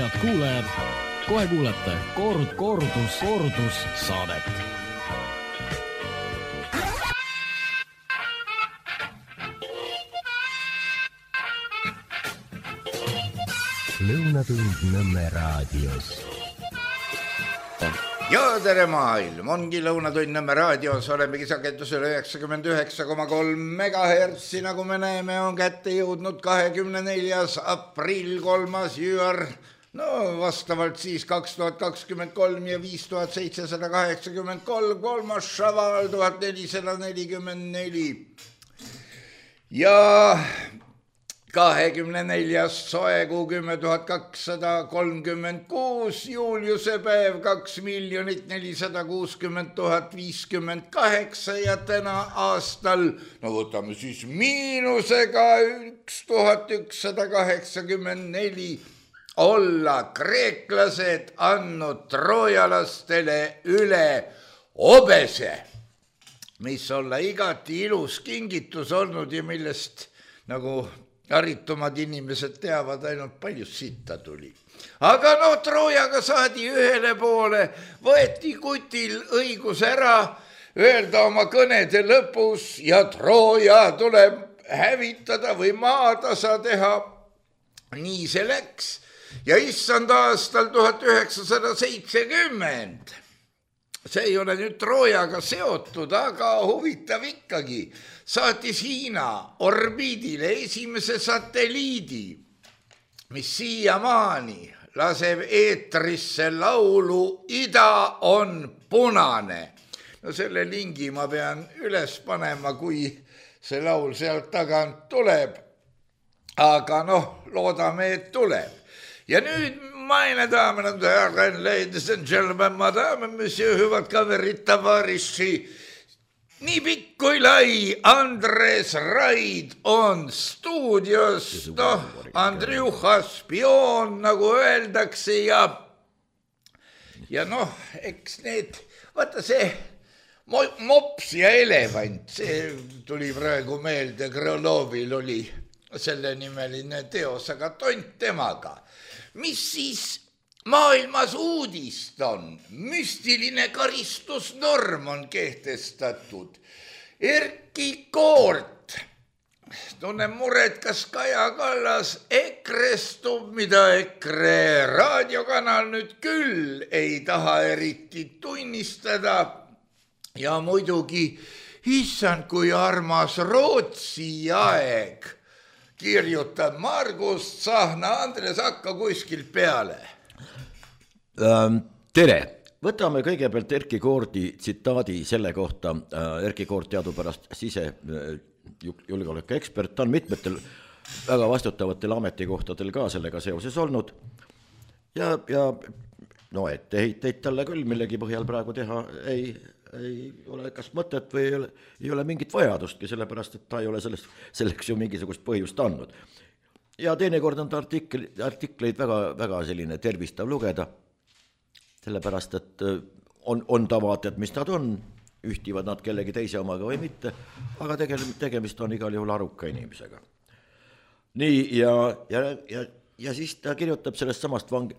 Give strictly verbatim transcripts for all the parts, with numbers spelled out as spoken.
head kuulajad, kohe kuulete koorut, koordus, koordus saadet. Lõunatund Nõmme raadios. Ja tere maailm, ongi Lõunatund Nõmme raadios, olemegi sagedusel üheksakümmend üheksa koma kolm megahertsi, nagu me näeme, on kätte jõudnud kahekümne neljas aprill, kolmas jüür, no vastavalt siis kaks tuhat kakskümmend kolm ja viis tuhat seitsesada kaheksakümmend kolm, kolmas šaval tuhat nelisada nelikümmend neli ja kahekümne neljas soekuu kümme tuhat kakssada kolmkümmend kuus, juuliuse päev kaks miljonit nelisada kuuskümmend tuhat viiskümmend kaheksa ja täna aastal, no võtame siis miinusega üks tuhat ükssada kaheksakümmend neli, olla kreeklased andnud troojalastele üle obese, mis olla igati ilus kingitus olnud ja millest nagu haritumad inimesed teavad, ainult palju sitta tuli. Aga no Troojaga saadi ühele poole, võeti kutil õigus ära öelda oma kõnede lõpus ja Trooja tuleb hävitada või maatasa teha. Nii see läks ja issand aastal tuhat üheksasada seitsekümmend. See ei ole nüüd Troojaga seotud, aga huvitav ikkagi. Saatis Hiina orbiidile esimese satelliidi, mis siiamaani laseb eetrisse laulu Ida on punane. No selle lingi ma pean üles panema, kui see laul sealt tagant tuleb. Aga noh, loodame, et tuleb. Ja nüüd meine damen und herren, ladies and gentlemen, madame, monsieur, hüvad kaverid, tavariši, nii pikk kui lai, Andres Raid on stuudios, noh, Andriuha spioon, nagu öeldakse, ja ja noh, eks need, vaata see mops ja elevant, see tuli praegu meelde, Krõlovil oli selle nimeline teos, aga tont temaga. Mis siis maailmas uudist on? Müstiline karistusnorm on kehtestatud. Erki Koort tunneb muret, kas Kaja Kallas ekrestub, mida EKRE raadiokanal nüüd küll ei taha eriti tunnistada. Ja muidugi, issand, kui armas Rootsi aeg, kirjutab Margus Tsahna, Andres, hakka kuskil peale. Tere, võtame kõigepealt Erki Koordi tsitaadi selle kohta. Erki Koord teadupärast sisejulgeoleku ekspert, ta on mitmetel väga vastutavatel ametikohtadel ka sellega seoses olnud. Ja, ja no etteheiteid talle küll millegi põhjal praegu teha ei, ei ole kas mõtet või ei ole, ei ole mingit vajadustki, sellepärast, et ta ei ole sellest, selleks ju mingisugust põhjust andnud. Ja teinekord on ta artikli, artikleid väga, väga selline tervistav lugeda, sellepärast, et on, on tavaated, mis nad on, ühtivad nad kellegi teise omaga või mitte, aga tegemist on igal juhul aruka inimesega. Nii, ja, ja, ja, ja siis ta kirjutab sellest samast vang,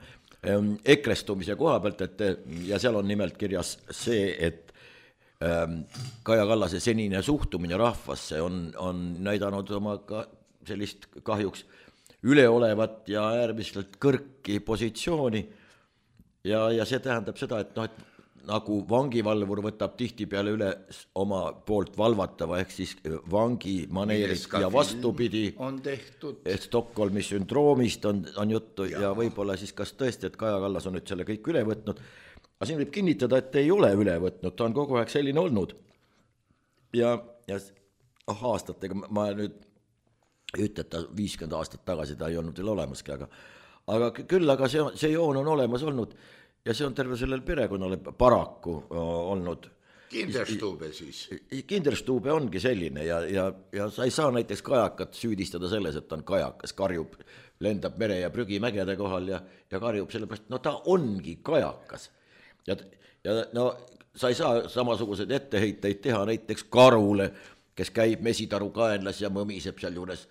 ähm, ekrestumise koha pealt, et ja seal on nimelt kirjas see, et Kaja Kallase senine suhtumine rahvasse on, on näidanud oma ka sellist kahjuks üleolevat ja äärmiselt kõrki positsiooni ja, ja see tähendab seda, et, no, et nagu vangivalvur võtab tihtipeale üle oma poolt valvatava ehk siis vangi maneerit ja vastupidi on tehtud. Stockholmi sündroomist on, on juttu ja. ja võib-olla siis kas tõesti, et Kaja Kallas on nüüd selle kõik üle võtnud. Aga siin võib kinnitada, et ei ole üle võtnud, ta on kogu aeg selline olnud. Ja, ja oh, aastatega, ma nüüd ütleta viiskümmend aastat tagasi ta ei olnud veel olemaski, aga, aga küll, aga see, see joon on olemas olnud ja see on terve sellel perekonnale paraku olnud. Kinderstube siis. Kinderstube ongi selline ja, ja, ja sa ei saa näiteks kajakat süüdistada selles, et ta on kajakas, karjub, lendab mere ja prügimägede kohal ja, ja karjub sellepärast, no ta ongi kajakas. Ja, ja no sa ei saa samasuguseid etteheiteid teha näiteks karule, kes käib mesitaru kaenlas ja mõmiseb seal juures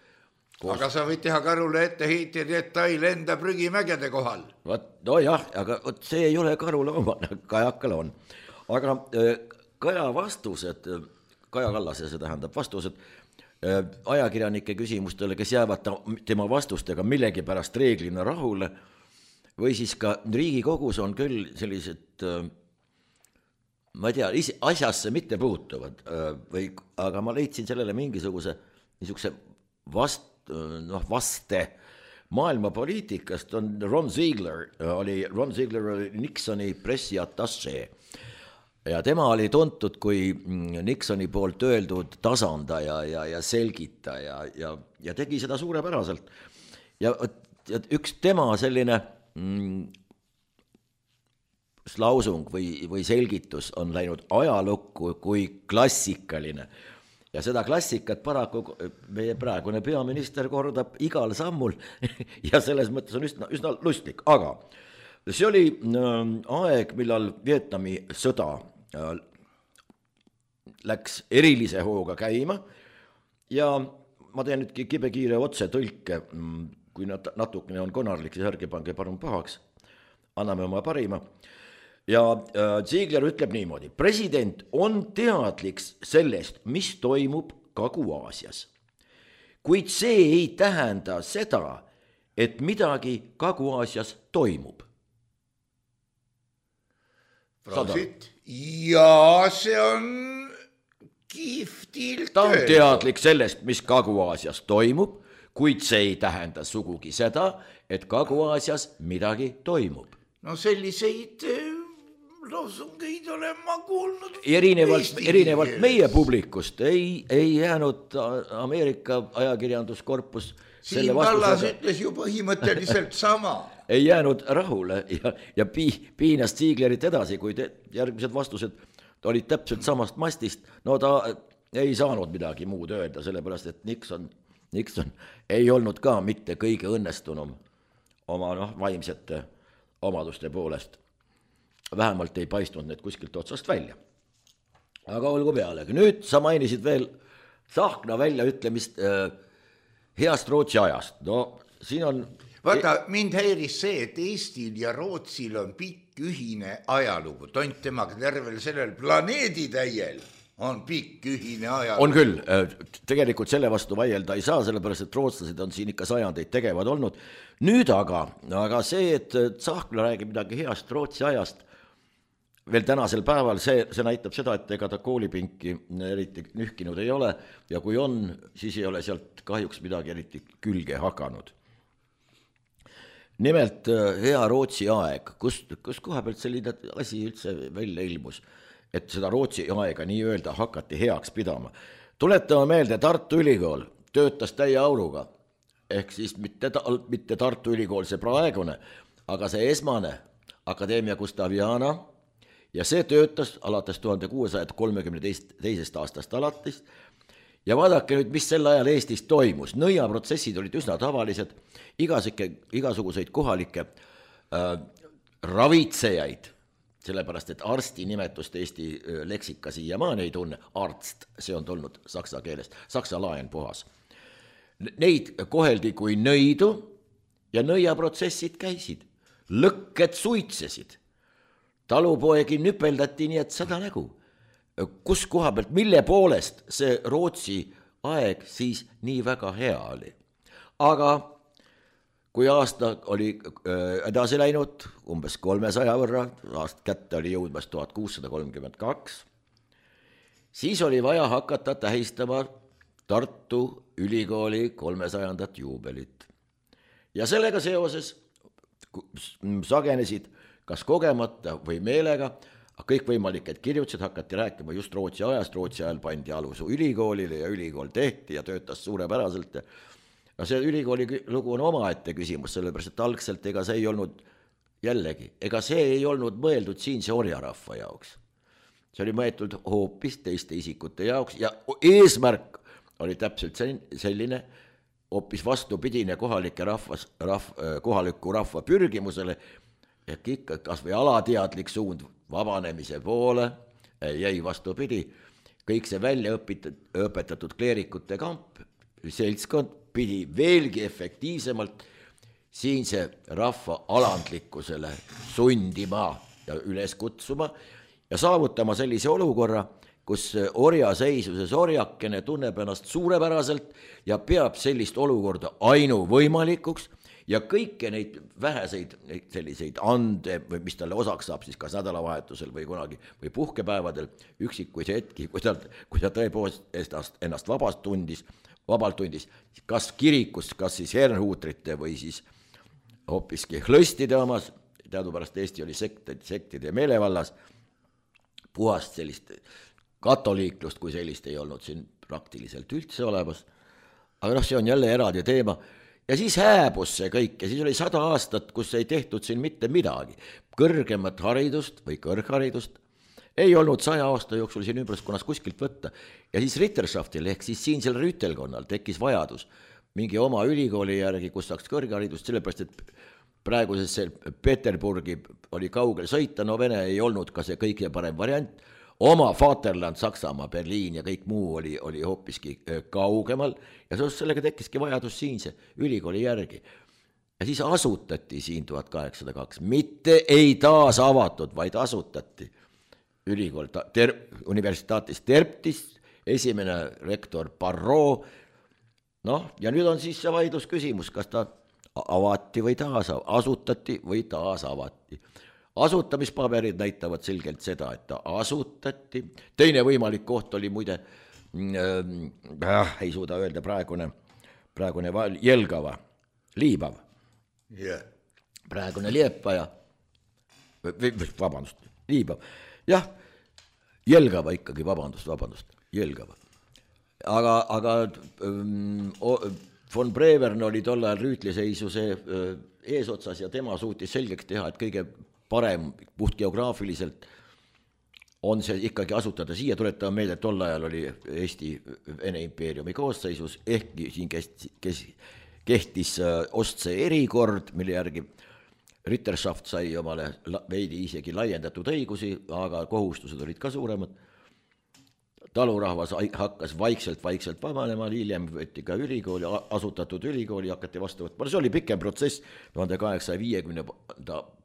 Koos... aga sa võid teha Karule etteheiteid, et ta ei lenda prügimägede kohal. Vaat, no jah, aga võt, see ei ole Karule oma, Kajakal on. Aga Kaja vastused, Kaja Kallase see tähendab vastused ajakirjanike küsimustele, kes jäävad tema vastustega millegipärast reeglina rahule, või siis ka Riigikogus on küll sellised, ma ei tea, asjasse mitte puutuvad, või, aga ma leidsin sellele mingisuguse niisuguse vast, noh, vaste maailmapoliitikast on Ron Ziegler, oli, Ron Ziegler oli Nixoni pressiatašee. Ja tema oli tuntud kui Nixoni poolt öeldud tasandaja ja, ja selgitaja ja, ja tegi seda suurepäraselt. Ja, ja üks tema selline mm, lausung või, või selgitus on läinud ajalukku kui klassikaline. Ja seda klassikat paraku meie praegune peaminister kordab igal sammul ja selles mõttes on üsna, üsna lustlik. Aga see oli aeg, millal Vietnami sõda läks erilise hooga käima ja ma teen nüüd kibekiire otse tõlke, kui natukene on konarlik, siis ärge pange parem pahaks, anname oma parima. Ja Ziegler ütleb niimoodi, president on teadlik sellest, mis toimub Kagu-Aasias, kuid see ei tähenda seda, et midagi Kagu-Aasias toimub. Fraasit. Ja see on kihvtilt. Ta on teadlik sellest, mis Kagu-Aasias toimub, kuid see ei tähenda sugugi seda, et Kagu-Aasias midagi toimub. No selliseid loosungeid olen ma kuulnud. Erinevalt, erinevalt meie publikust ei, ei jäänud Ameerika ajakirjanduskorpus Siim Kallas ütles ju põhimõtteliselt sama. Ei jäänud rahule ja, ja piinas Zieglerit edasi, kui te, järgmised vastused olid täpselt samast mastist. No ta ei saanud midagi muud öelda, sellepärast et Nixon, Nixon ei olnud ka mitte kõige õnnestunum oma noh, vaimsete omaduste poolest. Vähemalt ei paistnud need kuskilt otsast välja. Aga olgu pealegi. Nüüd sa mainisid veel Tsahkna välja ütlemist äh, heast Rootsi ajast. No siin on... Vaata, mind häiris see, et Eestil ja Rootsil on pikk ühine ajalugu. Tont temaga tervel sellel planeedi täiel on pikk ühine ajalugu. On küll. Tegelikult selle vastu vaielda ei saa, sellepärast et rootslased on siin ikka sajandeid tegevad olnud. Nüüd aga, aga see, et Tsahkna räägib midagi heast Rootsi ajast, veel tänasel päeval, see, see näitab seda, et ega ta koolipinki eriti nühkinud ei ole ja kui on, siis ei ole sealt kahjuks midagi eriti külge hakanud. Nimelt hea Rootsi aeg, kus, kus koha pealt selline asi üldse välja ilmus, et seda Rootsi aega nii öelda hakati heaks pidama. Tuletame meelde, Tartu Ülikool töötas täie auruga, ehk siis mitte, mitte Tartu Ülikool see praegune, aga see esmane Akadeemia Gustaviana ja see töötas alates tuhande kuuesaja kolmekümne teisest aastast alates. Ja vaadake nüüd, mis sel ajal Eestis toimus. Nõiaprotsessid olid üsna tavalised, igasike, igasuguseid kohalikke äh, ravitsejaid, sellepärast et arsti nimetust Eesti leksika siiamaani ei tunne, arst, see on tulnud saksa keelest, saksa laen puhas. Neid koheldi kui nõidu ja nõiaprotsessid käisid, lõkked suitsesid, talupoegi nüpeldati nii, et sada nägu. Kus koha pealt, mille poolest see Rootsi aeg siis nii väga hea oli. Aga kui aasta oli edasi läinud, umbes kolmesaja võrra, aasta kätte oli jõudmas tuhat kuussada kolmkümmend kaks, siis oli vaja hakata tähistama Tartu Ülikooli kolmesajandat juubelit. Ja sellega seoses sagenesid kas kogemata või meelega, kõik võimalik, et kirjutsid hakati rääkima just Rootsi ajast, Rootsi ajal pandi alus ülikoolile ja ülikool tehti ja töötas suurepäraselt. Ja see ülikooli lugu on omaette küsimus, sellepärast et algselt ega see ei olnud jällegi, ega see ei olnud mõeldud siinse orjarahva jaoks. See oli mõeldud hoopis teiste isikute jaoks ja eesmärk oli täpselt selline, hoopis vastupidine kohalike rahvas, rahv, kohaliku rahva pürgimusele, et ikka kas või alateadlik suund vabanemise poole jäi vastupidi. Kõik see välja õpetatud kleerikute kamp, seltskond pidi veelgi efektiivsemalt siinse rahva alandlikkusele sundima ja üles kutsuma ja saavutama sellise olukorra, kus orjaseisuses orjakene tunneb ennast suurepäraselt ja peab sellist olukorda ainuvõimalikuks ja kõiki neid väheseid neid selliseid ande, mis talle osaks saab siis kas nädalavahetusel või kunagi või puhkepäevadel üksikuid hetki, kui ta, kui ta tõepoolest ennast vabast tundis, vabalt tundis, kas kirikus, kas siis Herrnhutrite või siis hoopiski Hlõstide omas, teadupärast Eesti oli sektid, sektide meelevallas, puhast sellist katoliiklust kui sellist ei olnud siin praktiliselt üldse olemas, aga noh, see on jälle eraldi teema. Ja siis hääbus see kõik ja siis oli sada aastat, kus ei tehtud siin mitte midagi. Kõrgemat haridust või kõrgharidust ei olnud saja aasta jooksul siin ümbruskonnas kuskilt võtta. Ja siis Ritterschaftil ehk siis siinsel rüütelkonnal tekkis vajadus mingi oma ülikooli järgi, kus saaks kõrgharidust, sellepärast et praegusesse Peterburgi oli kaugel sõita, no Vene ei olnud ka see kõige parem variant. Oma Vaterland, Saksamaa, Berliin ja kõik muu oli, oli hoopiski kaugemal ja sellega tekkiski vajadus siinse ülikooli järgi. Ja siis asutati siin tuhat kaheksasada kaks, mitte ei taas avatud, vaid asutati ülikool ter, universitaatis Terptis, esimene rektor Barrot. Noh, ja nüüd on siis see vaidlus küsimus, kas ta avati või taas asutati või taas avati. Asutamispaberid näitavad selgelt seda, et ta asutati. Teine võimalik koht oli muide, äh, ei suuda öelda praegune, praegune Jelgava, Liibav. Yeah. Praegune Liepaja, vabandust, Liibav. Jah, Jelgava ikkagi, vabandust, vabandust, Jelgava. Aga, aga ähm, von Brevern oli tol ajal rüütliseisuse äh, eesotsas ja tema suutis selgeks teha, et kõige parem puht geograafiliselt on see ikkagi asutada siia, tuletame meelde, et tol ajal oli Eesti Vene impeeriumi koosseisus, ehkki siin kehtis, kehtis ostse erikord, mille järgi Ritterschaft sai omale veidi isegi laiendatud õigusi, aga kohustused olid ka suuremad. Talurahvas hakkas vaikselt, vaikselt vabanema, hiljem võeti ka ülikooli, asutatud ülikooli, hakati vastu võtma. See oli pikem protsess, tuhande kaheksasaja viiekümne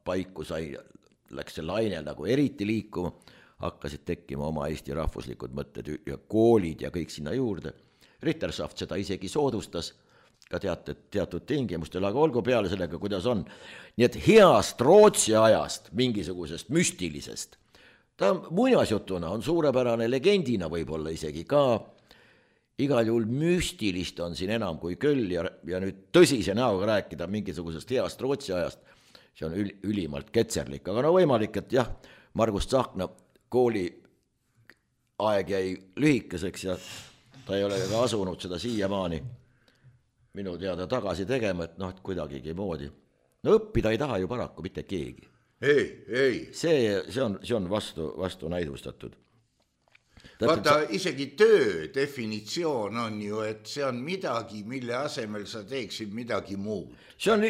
paiku sai, läks see laine nagu eriti liikuma, hakkasid tekkima oma Eesti rahvuslikud mõtted ja koolid ja kõik sinna juurde. Ritterschaft seda isegi soodustas ka teatud, teatud tingimustel, aga olgu peale sellega, kuidas on. Nii et heast Rootsi ajast, mingisugusest müstilisest, ta muinasjutuna on suurepärane, legendina võib-olla isegi ka, igal juhul müstilist on siin enam kui küll ja, ja nüüd tõsise näoga rääkida mingisugusest heast Rootsi ajast, see on ül, ülimalt ketserlik, aga no võimalik, et jah, Margus Tsahkna kooli aeg jäi lühikeseks ja ta ei ole ka asunud seda siiamaani minu teada tagasi tegema, et noh, et kuidagigi moodi. No õppida ei taha ju paraku mitte keegi. Ei, ei. See, see on, see on vastu, vastu näidustatud. Vaata, isegi töö definitsioon on ju, et see on midagi, mille asemel sa teeksid midagi muud. See on,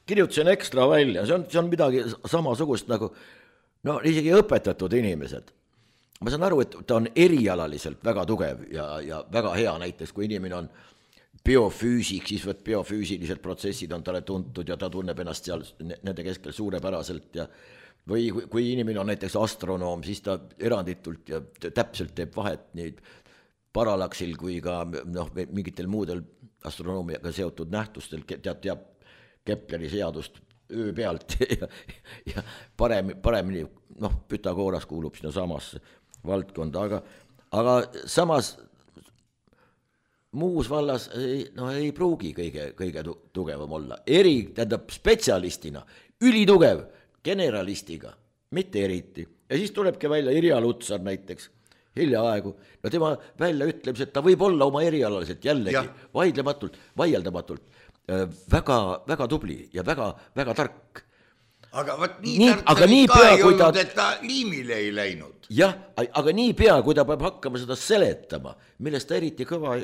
kirjutasin ekstra välja, see on, see on midagi samasugust nagu, no isegi õpetatud inimesed. Ma saan aru, et ta on erialaliselt väga tugev ja, ja väga hea näiteks, kui inimene on biofüüsik, siis võt biofüüsilised protsessid on talle tuntud ja ta tunneb ennast seal nende keskel suurepäraselt ja või kui inimene on näiteks astronoom, siis ta eranditult ja täpselt teeb vahet nii paralaksil kui ka noh, mingitel muudel astronoomiaga seotud nähtustel, teab, teab Kepleri seadust öö pealt ja, ja parem, paremini, noh, Pythagoras kuulub sinna samasse valdkonda, aga, aga samas muus vallas no, ei pruugi kõige, kõige tugevam olla. Eri, tähendab spetsialistina, ülitugev, generalistiga, mitte eriti. Ja siis tulebki välja Irja Lutsar näiteks, hiljaaegu. No tema välja ütlemis, et ta võib olla oma erialaliselt jällegi, ja. vaidlematult, vaieldamatud, väga, väga tubli ja väga, väga tark. Aga võt nii, nii tark oli ka ei olnud, ta... et ta liimile ei läinud. Jah, aga nii pea, kui ta peab hakkama seda seletama, millest ta eriti kõva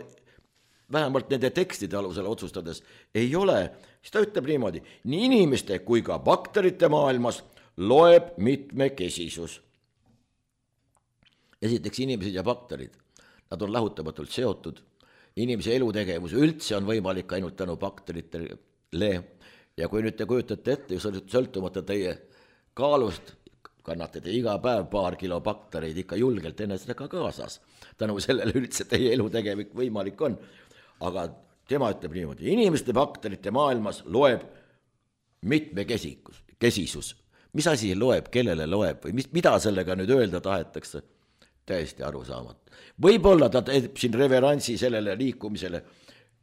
vähemalt nende tekstide alusel otsustades ei ole, siis ta ütleb niimoodi, nii inimeste kui ka bakterite maailmas loeb mitmekesisus. Esiteks inimesed ja bakterid, nad on lahutamatult seotud inimese elutegevus üldse on võimalik ainult tänu bakteritele ja kui nüüd te kujutate ette, sõltumata teie kaalust, kannate te iga päev paar kilo baktereid ikka julgelt enesega kaasas. Tänu sellele üldse teie elutegevik võimalik on. Aga tema ütleb niimoodi, inimeste bakterite maailmas loeb mitmekesisus. Kesisus. Mis asi loeb, kellele loeb või mis, mida sellega nüüd öelda tahetakse? Täiesti aru saamat. Võib-olla ta teeb siin reveransi sellele liikumisele,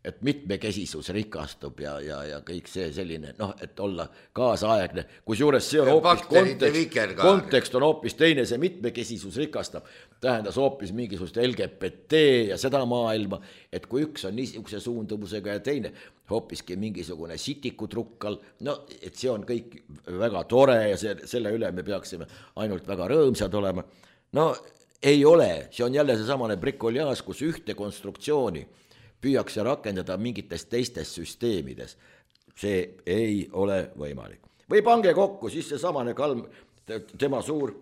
et mitmekesisus rikastub ja, ja, ja kõik see selline, noh, et olla kaasaegne, kus juures see on hoopis kontekst, kontekst on hoopis teine, see mitmekesisus rikastab, tähendas hoopis mingisugust L G B T ja seda maailma, et kui üks on niisuguse suundumusega ja teine hoopiski mingisugune sitikutrukkal, no et see on kõik väga tore ja see, selle üle me peaksime ainult väga rõõmsad olema. No ei ole, see on jälle seesamane brikoljaas, kus ühte konstruktsiooni püüakse rakendada mingites teistes süsteemides. See ei ole võimalik. Või pange kokku siis see samane Kalm, tema suur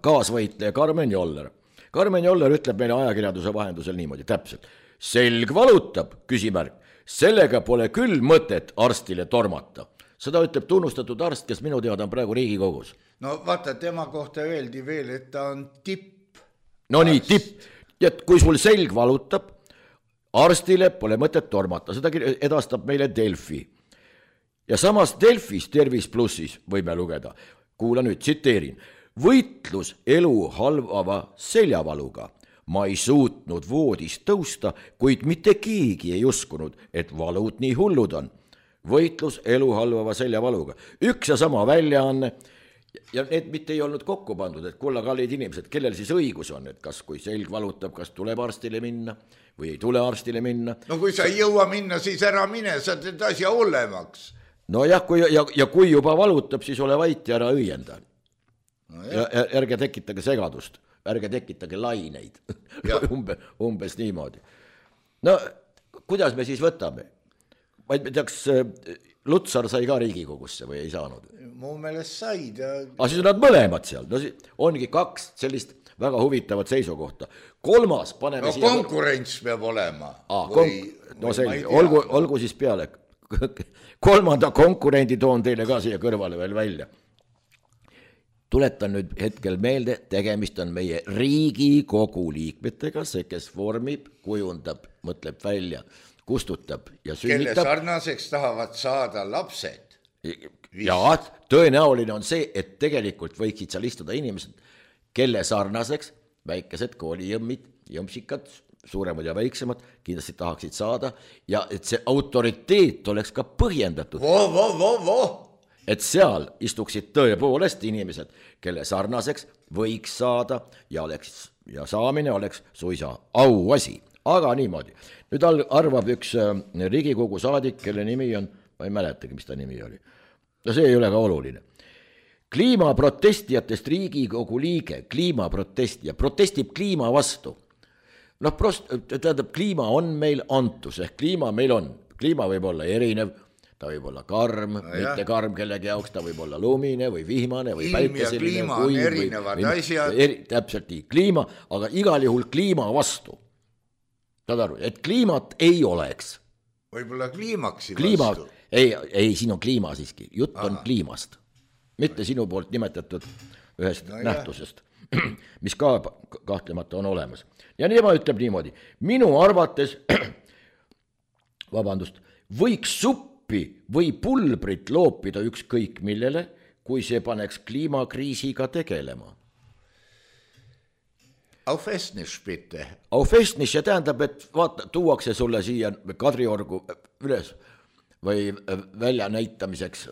kaasvõitleja Karmen Joller. Karmen Joller ütleb meile ajakirjanduse vahendusel niimoodi täpselt. Selg valutab, küsimärk, sellega pole küll mõtet arstile tormata. Seda ütleb tunnustatud arst, kes minu teada on praegu Riigikogus. No vaata, tema kohta öeldi veel, et ta on tipp. No nii, tipp. Ja kui sul selg valutab, arstile pole mõtet tormata, seda edastab meile Delfi. Ja samas Delfis Tervis plussis võime lugeda, kuula nüüd, tsiteerin, võitlus elu halvava seljavaluga. Ma ei suutnud voodist tõusta, kuid mitte keegi ei uskunud, et valud nii hullud on. Võitlus elu halvava seljavaluga. Üks ja sama väljaanne. Ja need mitte ei olnud kokku pandud, et kulla kallid inimesed, kellel siis õigus on, et kas kui selg valutab, kas tuleb arstile minna või ei tule arstile minna. No kui sa ei jõua minna, siis ära mine, sa teed asja hullemaks. No jah, kui, ja, ja kui juba valutab, siis ole vait ja ära õienda. No ja, ja ärge tekitage segadust, ärge tekitage laineid, Umbe, umbes niimoodi. No kuidas me siis võtame? Ma ei teaks, Lutsar sai ka Riigikogusse või ei saanud? Mu meelest said. Ja... Aga siis on nad mõlemad seal. No, ongi kaks sellist väga huvitavat seisukohta. Kolmas paneme no, siia... konkurents peab olema. Aa, või, kon... No selge, olgu, olgu siis peale. Kolmanda konkurendi toon teile ka siia kõrvale veel välja. Tuletan nüüd hetkel meelde, tegemist on meie Riigikogu liikmetega, see, kes vormib, kujundab, mõtleb välja, kustutab ja sünnitab. Kelle sarnaseks tahavad saada lapsed. Ja tõenäoline on see, et tegelikult võiksid seal istuda inimesed, kelle sarnaseks väikesed koolijõmmid, jõmsikad, suuremad ja väiksemad, kindlasti tahaksid saada ja et see autoriteet oleks ka põhjendatud. Vo, vo, vo, vo. Et seal istuksid tõepoolest inimesed, kelle sarnaseks võiks saada ja, oleks, ja saamine oleks suisa auasi. Aga niimoodi. Nüüd arvab üks Riigikogu saadik, kelle nimi on, ma ei mäletagi, mis ta nimi oli. No see ei ole ka oluline. Kliimaprotestijatest Riigikogu liige, kliimaprotestija, protestib kliima vastu. Noh, prost, tähendab, kliima on meil antus, ehk kliima meil on. Kliima võib olla erinev, ta võib olla karm, no mitte jah. Karm kellegi jaoks, ta võib olla lumine või vihmane või päikeseline. Ilm ja kliima on erinevad või, asjad. Eri, täpselt nii, kliima, aga igal juhul kliima vastu. Saad aru, et kliimat ei oleks. Võib-olla kliimaksi kliima, vastu. Ei, ei, siin on kliima siiski, jutt on Aha. kliimast. Mitte sinu poolt nimetatud ühest no nähtusest, mis ka kahtlemata on olemas. Ja nii ma ütleb niimoodi, minu arvates, vabandust, võiks suppi või pulbrit loopida ükskõik millele, kui see paneks kliimakriisiga tegelema. Auf Estnisch bitte. Auf Estnisch ja tähendab, et vaata, tuuakse sulle siia Kadriorgu üles või välja näitamiseks,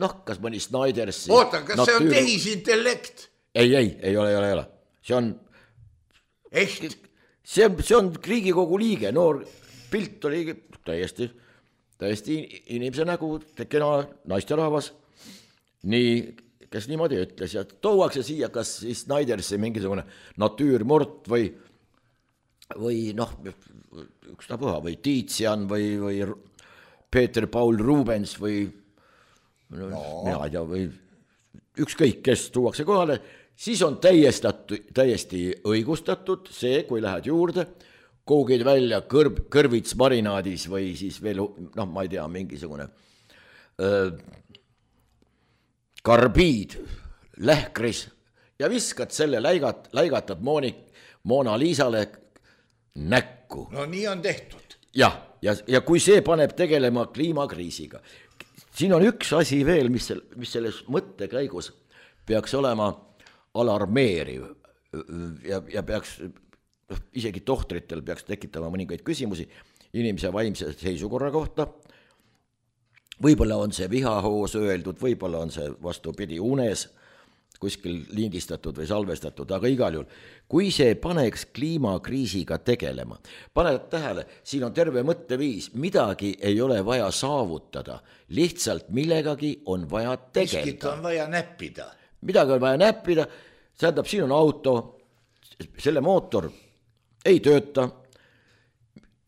noh, kas mõni Snydersi... Oota, kas natuur... see on tehisintellekt? Ei, ei, ei ole, ei ole, ei ole. See on... Echt? See, see on Riigikogu liige, noor pilt oli täiesti, täiesti inimese nägu, kena naisterahvas, nii, kes niimoodi ütles, ja tuuakse siia kas siis Snydersi mingisugune natüürmort või või noh, üks tapuha, või Tizian või, või Peeter Paul Rubens või no. mina ei tea, või ükskõik, kes tuuakse kohale, siis on täiestatu, täiesti õigustatud see, kui lähed juurde, koogid välja kõrb, kõrvits marinaadis või siis veel, noh, ma ei tea, mingisugune öö, karbiid, lähkris ja viskad selle, läigat, läigatad Moonik, Mona Liisale näkku. No nii on tehtud. Jah, ja, ja kui see paneb tegelema kliimakriisiga. Siin on üks asi veel, mis, mis selles mõttekäigus peaks olema alarmeeriv ja, ja peaks, isegi tohtritel peaks tekitama mõningaid küsimusi inimese vaimse seisukorra kohta. Võib-olla on see vihahoos öeldud, võib-olla on see vastupidi unes kuskil lindistatud või salvestatud, aga igal juhul, kui see paneks kliimakriisiga tegelema, paned tähele, siin on terve mõtteviis, midagi ei ole vaja saavutada, lihtsalt millegagi on vaja tegelda. Miskit on vaja näppida. Midagi on vaja näppida, tähendab, siin on auto, selle mootor ei tööta,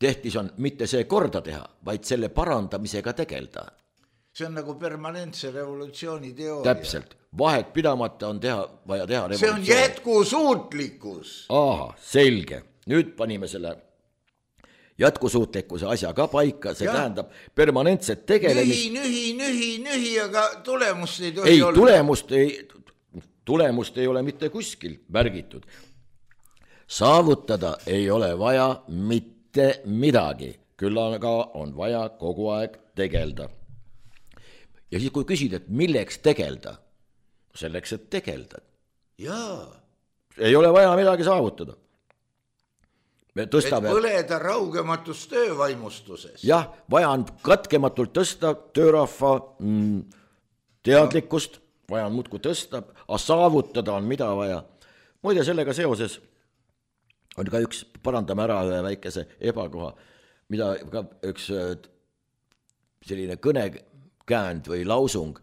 tehtis on mitte see korda teha, vaid selle parandamisega tegelda. See on nagu permanentse revolutsiooni teooria. Täpselt, vahet pidamata on teha, vaja teha revolutsioon. See on jätkusuutlikkus. Aha, selge. Nüüd panime selle jätkusuutlikkuse asja ka paika, see ja. Tähendab permanentset tegelemist. Nühi, nühi, nühi, nühi, aga tulemust ei tohi ei, olla. Tulemust ei, tulemust ei ole mitte kuskil märgitud. Saavutada ei ole vaja mitte midagi, küll aga on vaja kogu aeg tegelda. Ja siis kui küsid, et milleks tegelda, selleks, et tegelda. Jaa. Ei ole vaja midagi saavutada. Me tõstame... Et põleda raugematus töövaimustuses. Jah, vaja on katkematult tõsta töörahva mm, teadlikkust, vaja on muudku tõsta, aga saavutada on mida vaja. Muide, sellega seoses on ka üks, parandame ära ühe väikese ebakoha, mida ka üks selline kõne käänd või lausung,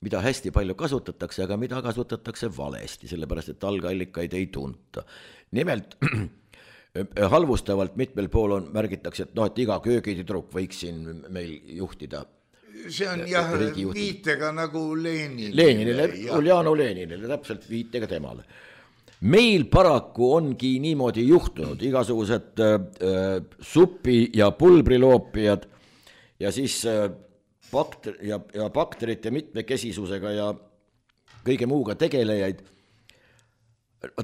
mida hästi palju kasutatakse, aga mida kasutatakse valesti, sellepärast et algallikaid ei tunta. Nimelt, halvustavalt mitmel pool on, märgitakse, et, no, et iga köögitüdruk võiks siin meil juhtida. See on jah viitega nagu Leninile. Leninile, Uljano Leninile, täpselt viitega temale. Meil paraku ongi niimoodi juhtunud, igasugused äh, supi ja pulbriloopijad ja siis äh, Bakter, ja, ja bakterite mitmekesisusega ja kõige muuga tegelejaid,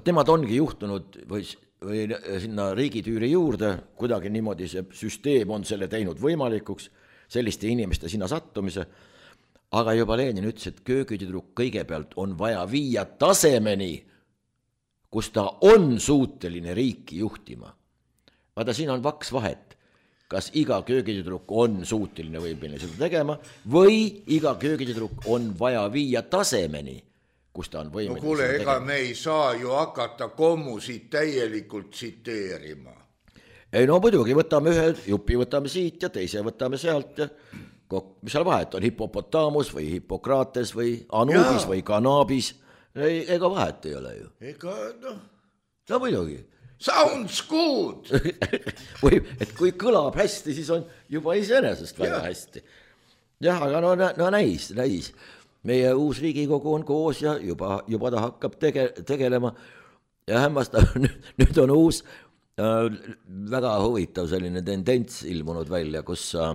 nemad ongi juhtunud või, või sinna riigitüüri juurde, kuidagi niimoodi see süsteem on selle teinud võimalikuks, selliste inimeste sinna sattumise, aga juba Lenin ütles, et köögitüdruk kõigepealt on vaja viia tasemeni, kus ta on suuteline riiki juhtima. Vaata, siin on vaks vahet. Kas iga köögitüdruk on suuteline võimeline seda tegema või iga köögitüdruk on vaja viia tasemeni, kus ta on võimeline no, kuule, seda tegema. Ega me ei saa ju hakata kommusid täielikult tsiteerima. Ei no muidugi, võtame ühe jupi, võtame siit ja teise võtame sealt ja mis seal vahet on, Hippopotamus või Hippokrates või Anubis ja. Või Cannabis, ei, ega vahet ei ole ju. Ega noh. No muidugi. Sounds good! või, et kui kõlab hästi, siis on juba iseenesest väga ja. Hästi. Jah, aga no, no näis, näis. Meie uus Riigikogu on koos ja juba, juba ta hakkab tege, tegelema ja hämmastav, nüüd on uus äh, väga huvitav selline tendents ilmunud välja, kus äh,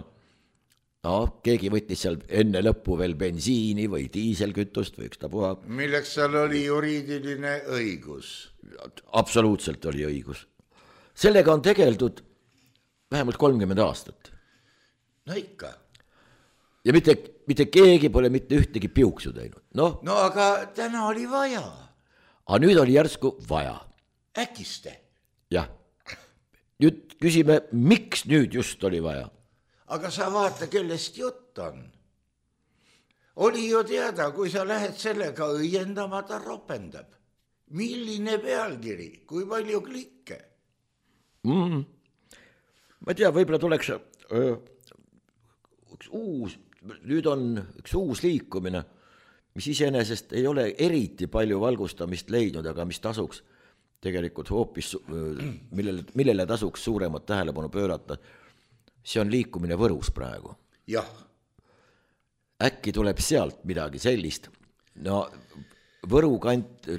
no, keegi võttis seal enne lõppu veel bensiini või diiselkütust või üks ta puha. Milleks seal oli juriidiline õigus? Absoluutselt oli õigus. Sellega on tegeldud vähemalt kolmkümmend aastat. No ikka. Ja mitte, mitte keegi pole mitte ühtegi piuksu teinud. No, no aga täna oli vaja. Aga nüüd oli järsku vaja. Äkiste? Jah. Nüüd küsime, miks nüüd just oli vaja? Aga sa vaata, kellest jutt on. Oli ju teada, kui sa lähed sellega õiendama, ta ropendab. Milline pealkiri, kui palju klikke? Mm. Ma tea, võib-olla tuleks öö, üks uus, nüüd on üks uus liikumine, mis iseenesest ei ole eriti palju valgustamist leidnud, aga mis tasuks tegelikult hoopis, millele, millele tasuks suuremat tähelepanu pöörata. See on liikumine Võrus praegu. Jah. Äkki tuleb sealt midagi sellist. No Võru kant,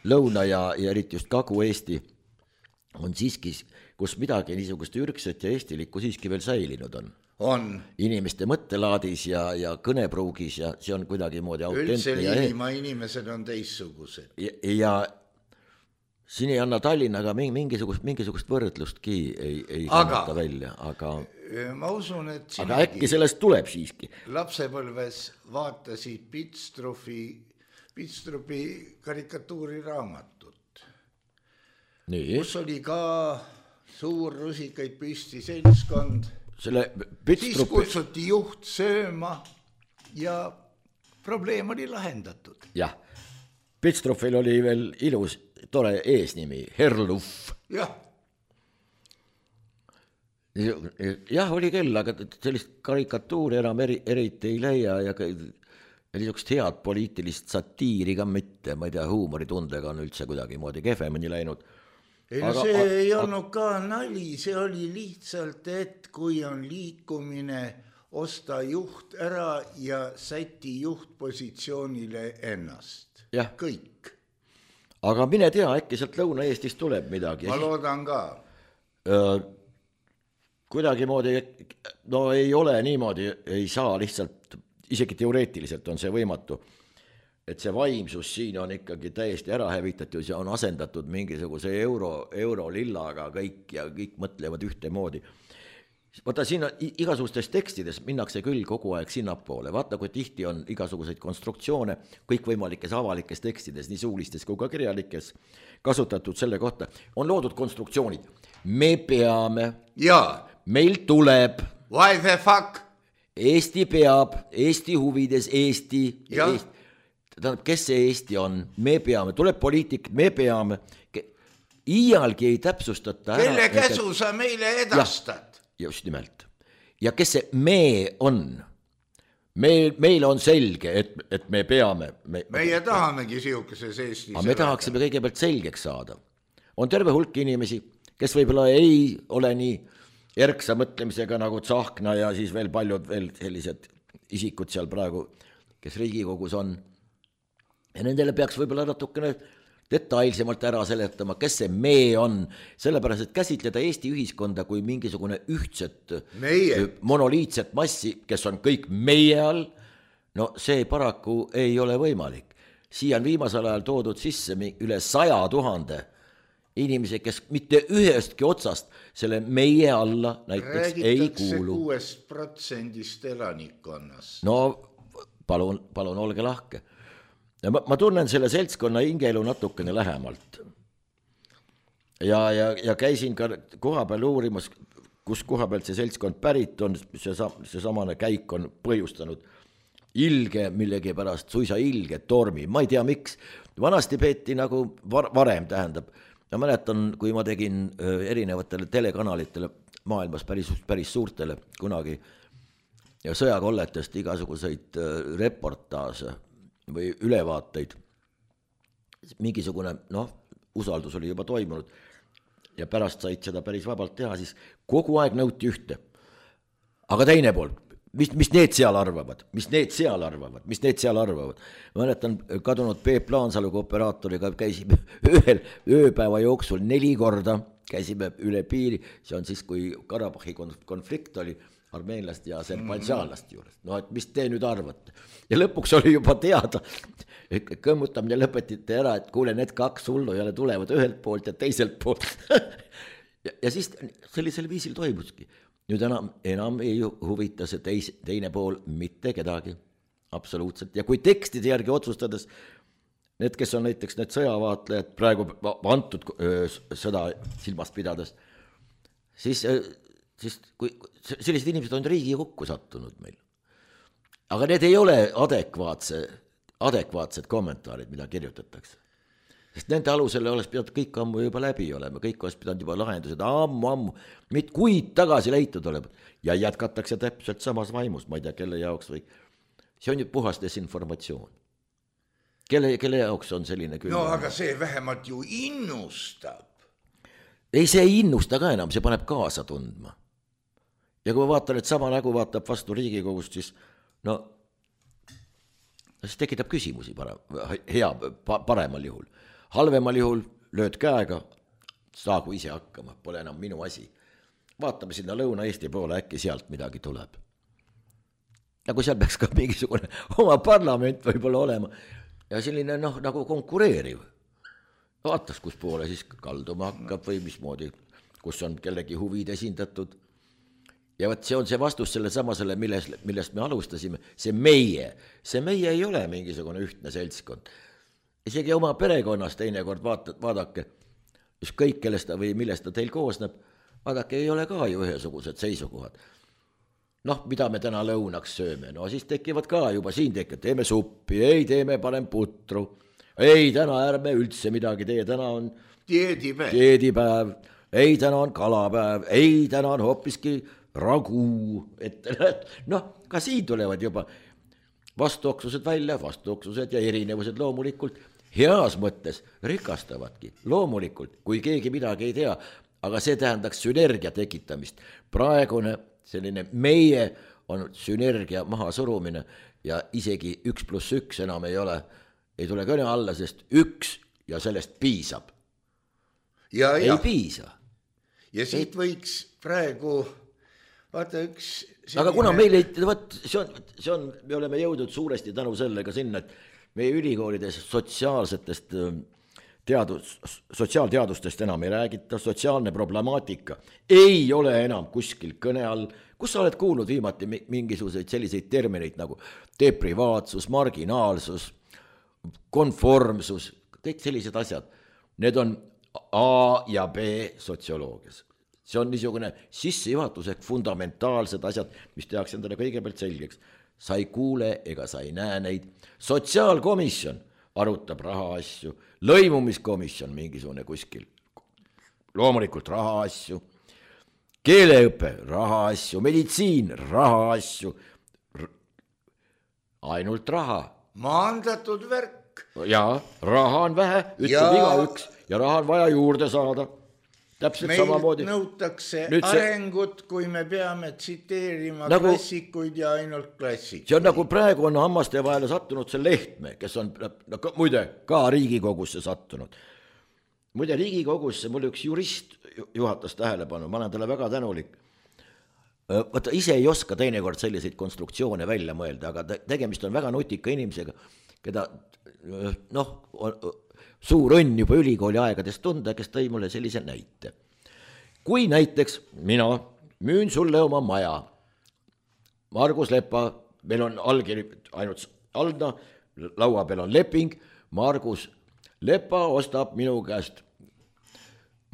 Lõuna ja, ja eriti just Kagu-Eesti on siiski, kus midagi niisugust ürgset ja eestilikku siiski veel säilinud on. On. Inimeste mõttelaadis ja, ja kõnepruugis ja see on kuidagi moodi autentne. Üldse Liivimaa inimesed on teissugused. Ja, ja siin ei anna Tallinnaga mingisugust, mingisugust võrdlustki ei, ei kannata välja, aga ma usun, et sinagi, aga äkki sellest tuleb siiski. Lapsepõlves vaatasid Pitstrufi, Pitstrufi karikatuuri raamatut, nii. kus oli ka suur rusikaid püsti seltskond. Selle Pitstrupi... Siis kutsuti juht sööma ja probleem oli lahendatud. Jah, Pitstrufil oli veel ilus, tore eesnimi, Herluf. Jah. Jah, oli küll, aga sellist karikatuuri enam eri, eriti ei leia ja niisugust head poliitilist satiiri ka mitte, ma ei tea, huumoritundega on üldse kuidagi moodi kehvemini läinud. Ei, no aga, see aga, ei olnud ka nali, see oli lihtsalt, et kui on liikumine, osta juht ära ja säti juhtpositsioonile ennast. Jah. Kõik. Aga mine tea, äkki sealt Lõuna-Eestist tuleb midagi. Ma loodan ka. Öö, kuidagi moodi, no ei ole niimoodi, ei saa lihtsalt, isegi teoreetiliselt on see võimatu. Et see vaimsus siin on ikkagi täiesti ära hävitatud ja on asendatud mingisuguse euro, euro lillaga kõik ja kõik mõtlevad ühte moodi. Vaata, siin on igasugustes tekstides minnakse küll kogu aeg sinnapoole. Vaata, kui tihti on igasuguseid konstruktsioone kõikvõimalikes avalikes tekstides, nii suulistes kui ka kirjalikes, kasutatud selle kohta. On loodud konstruktsioonid. Me peame, ja. Meil tuleb, why the fuck? Eesti peab, Eesti huvides, Eesti, ja. Eesti. Tähendab, kes see Eesti on, me peame, tuleb poliitik, me peame, iialgi ei täpsustata kelle ära, käsu et... sa meile edastad? Ja, just nimelt. Ja kes see me on? Meil, meil on selge, et, et me peame. Me, Meie tahamegi siukeses Eestis. Aga me tahaksime kõigepealt selgeks saada. On terve hulk inimesi, kes võib-olla ei ole nii erksa mõtlemisega nagu Tsahkna ja siis veel paljud veel sellised isikud seal praegu, kes Riigikogus on. Ja nendele peaks võib-olla natukene detailsemalt ära seletama, kes see me on, sellepärast, et käsitleda Eesti ühiskonda kui mingisugune ühtset meie. Monoliitset massi, kes on kõik meie all, no see paraku ei ole võimalik. Siia on viimasel ajal toodud sisse üle saja tuhande inimesi, kes mitte ühestki otsast selle meie alla näiteks räägitakse ei kuulu. kuuest protsendist elanikkonnast. No palun, palun olge lahke. Ja ma, ma tunnen selle seltskonna hingelu natukene lähemalt. Ja, ja, ja käisin ka koha peal uurimas, kus koha pealt see seltskond pärit on, see, see samane käik on põhjustanud ilge millegi pärast, suisa ilge tormi, ma ei tea miks. Vanasti peeti nagu var, varem tähendab. Ma mäletan, kui ma tegin erinevatele telekanalitele maailmas päris, päris suurtele kunagi ja sõjakolletest igasuguseid reportaase või ülevaateid, mingisugune, noh, usaldus oli juba toimunud ja pärast said seda päris vabalt teha, siis kogu aeg nõuti ühte. Aga teine pool, mis, mis need seal arvavad, mis need seal arvavad, mis need seal arvavad. Ma mäletan, kadunud Peep Laansaluga operaatoriga käisime ühel ööpäeva jooksul neli korda, käisime üle piiri, see on siis, kui Karabahi konflikt oli, armeenlast ja aserbaidžaanlast juures. No, et mis te nüüd arvate? Ja lõpuks oli juba teada, kõmmutamine lõpetite ära, et kuule, need kaks hullu jälle tulevad ühelt poolt ja teiselt poolt. ja, ja siis sellisel viisil toimuski. Nüüd enam, enam ei huvita see teis, teine pool mitte kedagi. Absoluutselt. Ja kui tekstide järgi otsustades, need, kes on näiteks need sõjavaatlejad praegu antud öö, sõda silmast pidades, siis... siis kui sellised inimesed on riigi kokku sattunud meil. Aga need ei ole adekvaatse, adekvaatsed kommentaarid, mida kirjutatakse. Sest nende alusele oleks pidanud kõik ammu juba läbi olema, kõik oleks pidanud juba lahendused ammu, ammu, mitte kuid tagasi leitud olema. Ja jätkatakse täpselt samas vaimus, ma ei tea, kelle jaoks või. See on ju puhas desinformatsioon. Kelle, kelle jaoks on selline küll? No aga see vähemalt ju innustab. Ei, see ei innusta ka enam, see paneb kaasa tundma. Ja kui ma vaatan, et sama nägu vaatab vastu Riigikogust, siis no, siis tekitab küsimusi parem, hea, paremal juhul. halvemal juhul lööd käega, saagu ise hakkama, pole enam minu asi. Vaatame sinna Lõuna-Eesti poole, äkki sealt midagi tuleb. Nagu seal peaks ka mingisugune oma parlament võib-olla olema ja selline noh, nagu konkureeriv. Vaatas, kus poole siis kalduma hakkab või mismoodi, kus on kellegi huvid esindatud. Ja võt see on see vastus selle samasele, millest, millest me alustasime, see meie. See meie ei ole mingisugune ühtne seltskond. Isegi oma perekonnas teinekord vaatad, vaadake, ükskõik kellest ta või millest ta teil koosneb, vaadake, ei ole ka ju ühesugused seisukohad. Noh, mida me täna lõunaks sööme, no siis tekivad ka juba siin tekivad, teeme suppi, ei teeme parem putru, ei täna ärme üldse midagi tee, täna on Dieedipäev. dieedipäev, ei täna on kalapäev, ei täna on hoopiski ragu, et noh, ka siin tulevad juba vastuoksused välja, vastuoksused ja erinevused loomulikult heas mõttes rikastavadki, loomulikult, kui keegi midagi ei tea, aga see tähendaks sünergia tekitamist. Praegune selline meie on sünergia maha surumine ja isegi üks pluss üks enam ei ole, ei tule kõne alla, sest üks ja sellest piisab. Ja, ei ja. piisa. Ja siit võiks praegu, vaata üks... Selline... Aga kuna meil ei, võt, see on, see on, me oleme jõudnud suuresti tänu sellega sinna, et meie ülikoolides sotsiaalsetest teadus, sotsiaalteadustest enam ei räägita, sotsiaalne problemaatika ei ole enam kuskil kõne all, kus sa oled kuulnud viimati mingisuguseid selliseid termineid nagu deprivaatsus, marginaalsus, konformsus, kõik sellised asjad, need on A ja B sotsioloogias. See on niisugune sissejuhatuseks fundamentaalsed asjad, mis tehakse endale kõigepealt selgeks. Sa ei kuule ega sa ei näe neid. Sotsiaalkomisjon arutab raha asju, lõimumiskomisjon mingisugune kuskil, loomulikult raha asju, keeleõpe, raha asju, meditsiin, raha asju, R ainult raha. Maandatud värk. Ja raha on vähe, ütleb ja... iga üks ja raha on vaja juurde saada. Täpselt meil samamoodi. Nõutakse Nüüd see... arengut, kui me peame tsiteerima nagu... klassikuid ja ainult klassikuid. See on nagu praegu on hammaste vahele sattunud see Lehtme, kes on no, muide ka Riigikogusse sattunud. Muide Riigikogusse mul üks jurist juhatas tähelepanu, ma olen talle väga tänulik. Võtta, ise ei oska teinekord selliseid konstruktsioone välja mõelda, aga tegemist on väga nutika inimesega, keda noh, suur õnn juba ülikooli aegadest tunda, kes tõi mulle sellise näite. Kui näiteks mina müün sulle oma maja, Margus Lepa, meil on allkiri ainult Alna, laua peal on leping, Margus Lepa ostab minu käest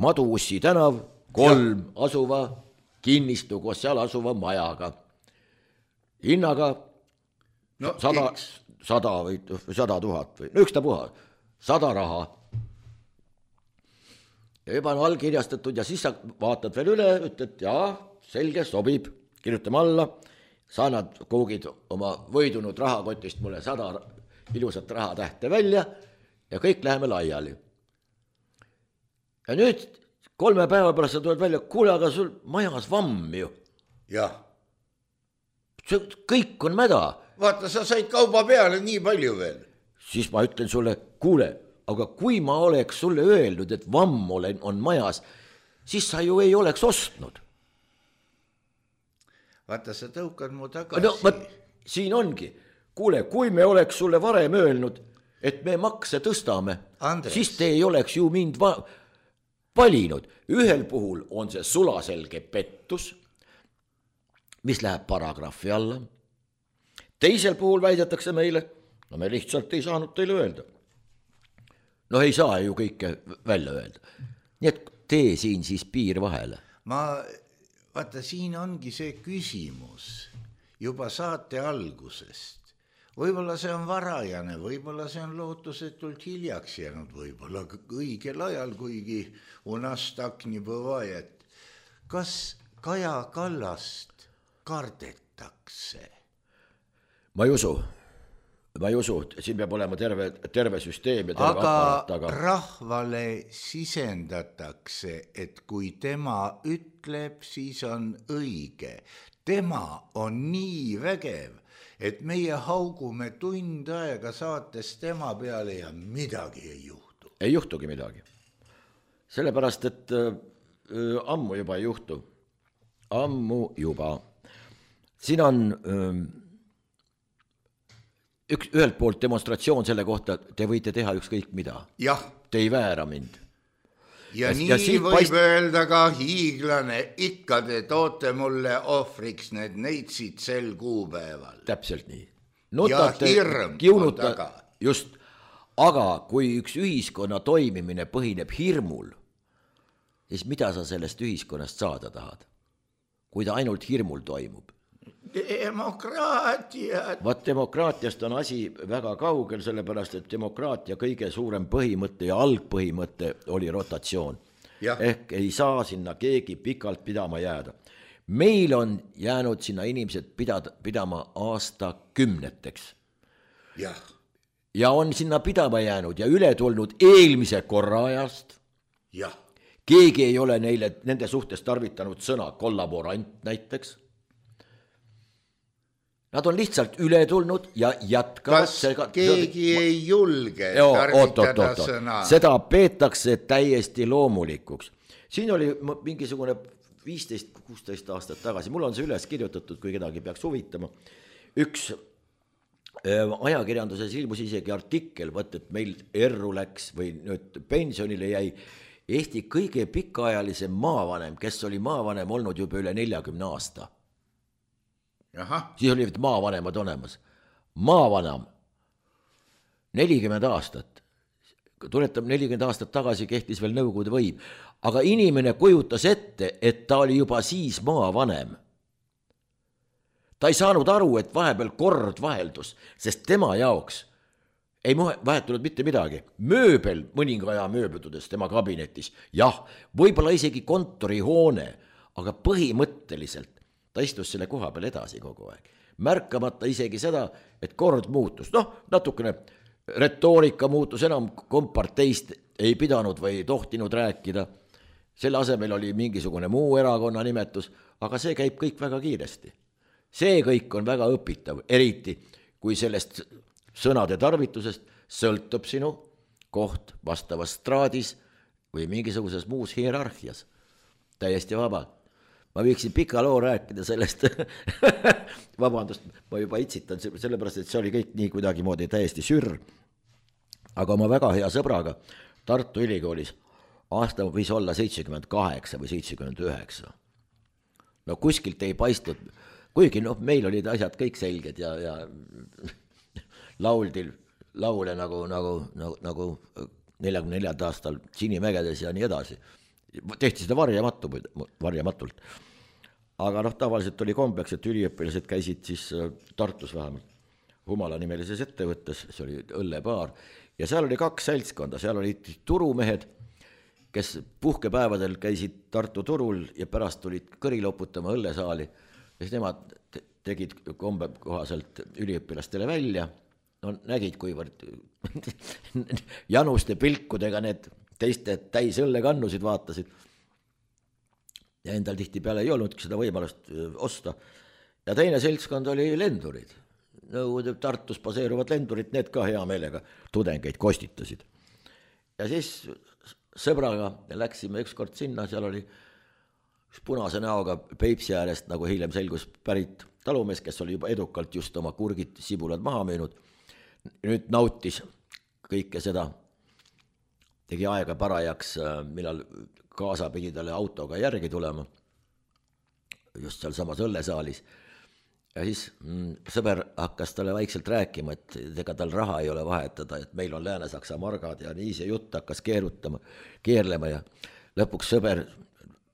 Maduussi tänav, kolm ja. Asuva kinnistu koos seal asuva majaga. Hinnaga no, sada, sada või sada tuhat või no, üksta puha, sada raha. Ja juba on allkirjastatud ja siis sa vaatad veel üle, ütled, jaa, selge, sobib, kirjutame alla, sa annad koogid oma võidunud rahakotist mulle sada ilusat rahatähte välja ja kõik läheme laiali. Ja nüüd kolme päeva pärast sa tuled välja, kuule, aga sul majas vamm ju. Jah. See kõik on mäda. Vaata, sa said kauba peale nii palju veel. Siis ma ütlen sulle, kuule, aga kui ma oleks sulle öelnud, et vamm olen, on majas, siis sa ju ei oleks ostnud. Vaata, sa tõukad mu tagasi. No, ma, siin ongi. Kuule, kui me oleks sulle varem öelnud, et me makse tõstame, Andres. Siis te ei oleks ju mind va- valinud. Ühel puhul on see sulaselge pettus, mis läheb paragrahvi alla. Teisel puhul väidetakse meile, no me lihtsalt ei saanud teile öelda. No ei saa ju kõike välja öelda. Nii et tee siin siis piir vahele. Ma, vaata, siin ongi see küsimus juba saate algusest. Võib-olla see on varajane, võib-olla see on lootusetult hiljaks jäänud, võib-olla õigel ajal, kuigi unast akni põvajat. Kas Kaja Kallast kardetakse? Ma ei usu. Ma ei usu, siin peab olema terve, terve süsteem ja terve aga aparat, aga rahvale sisendatakse, et kui tema ütleb, siis on õige. Tema on nii vägev, et meie haugume tund aega saates tema peale ja midagi ei juhtu. ei juhtugi midagi. Sellepärast, et äh, ammu juba ei juhtu. Ammu juba. Siin on äh, üks, ühelt poolt demonstratsioon selle kohta, te võite teha ükskõik mida. Jah. Te ei väära mind. Ja, ja nii ja võib paist... öelda ka hiiglane, ikka te toote mulle ohvriks need neitsid sel kuupäeval. Täpselt nii. Nutate, ja hirm kiunuta, on taga. Just, aga kui üks ühiskonna toimimine põhineb hirmul, siis mida sa sellest ühiskonnast saada tahad, kui ta ainult hirmul toimub? Demokraatia. Vaat demokraatiast on asi väga kaugel, sellepärast, et demokraatia kõige suurem põhimõte ja algpõhimõte oli rotatsioon. Ja. Ehk ei saa sinna keegi pikalt pidama jääda. Meil on jäänud sinna inimesed pidada, pidama aasta kümneteks. Ja. ja on sinna pidama jäänud ja üle tulnud eelmise korra ajast. Ja. Keegi ei ole neile, nende suhtes tarvitanud sõna kollaborant näiteks. Nad on lihtsalt üle tulnud ja jätkavad. Kas sega, keegi seda, ei julge joo, tarvitada oot, oot, oot, sõna? Seda peetakse täiesti loomulikuks. Siin oli mingisugune viisteist kuusteist aastat tagasi, mul on see üles kirjutatud, kui kedagi peaks huvitama. Üks äh, ajakirjanduses ilmus isegi artikkel, võt, et meil erru läks või nüüd pensionile jäi Eesti kõige pikaajalisem maavanem, kes oli maavanem olnud juba üle neljakümne aasta. Aha. Siis oli maavanemad olemas. Maavanem, nelikümmend aastat. Tuletab nelikümmend aastat tagasi kehtis veel nõukogude võim. Aga inimene kujutas ette, et ta oli juba siis maavanem. Ta ei saanud aru, et vahepeal kord vaheldus, sest tema jaoks ei vahetunud mitte midagi. Mööbel mõninga aja mööbeldudes tema kabinetis. Jah, võib-olla isegi kontorihoone, aga põhimõtteliselt ta istus selle koha peal edasi kogu aeg. Märkamata isegi seda, et kord muutus. Noh, natukene retoorika muutus, enam komparteist ei pidanud või tohtinud rääkida. Selle asemel oli mingisugune muu erakonna nimetus, aga see käib kõik väga kiiresti. See kõik on väga õpitav, eriti kui sellest sõnade tarvitusest sõltub sinu koht vastavas straadis või mingisuguses muus hierarhias. Täiesti vaba. Ma võiksin pika loo rääkida sellest, vabandust, ma juba itsitan, sellepärast, et see oli kõik nii kuidagi moodi täiesti sürr, aga oma väga hea sõbraga Tartu Ülikoolis aasta võis olla seitsekümmend kaheksa või seitsekümmend üheksa. No kuskilt ei paistnud, kuigi noh, meil olid asjad kõik selged ja, ja lauldi laule nagu, nagu, nagu, nagu neljakümne neljandal aastal Sinimägedes ja nii edasi. Tehti seda varjamatu, varjamatult. Aga noh, tavaliselt oli kombeks, et üliõpilased käisid siis Tartus vähemalt Humala nimelises ettevõttes, see oli õllebaar, ja seal oli kaks seltskonda, seal olid turumehed, kes puhkepäevadel käisid Tartu turul ja pärast tulid kõri loputama õllesaali, ja siis nemad tegid kombe kohaselt üliõpilastele välja, no nägid, kuivõrd januste pilkudega need teiste täis õlle kannusid vaatasid ja endal tihti peale ei olnud seda võimalust osta. Ja teine seltskond oli lendurid. Nõukogude Tartus baseeruvad lendurid, need ka hea meelega tudengeid kostitasid. Ja siis sõbraga läksime ükskord sinna, seal oli üks punase näoga Peipsi äärest, nagu hiljem selgus pärit talumees, kes oli juba edukalt just oma kurgid sibulad maha müünud. Nüüd nautis kõike seda, tegi aega parajaks, millal kaasa pidi talle autoga järgi tulema, just seal samas õllesaalis. Ja siis mm, sõber hakkas talle vaikselt rääkima, et ega tal raha ei ole vahetada, et meil on Lääne-Saksa margad ja nii see jutt hakkas keerutama, keerlema ja lõpuks sõber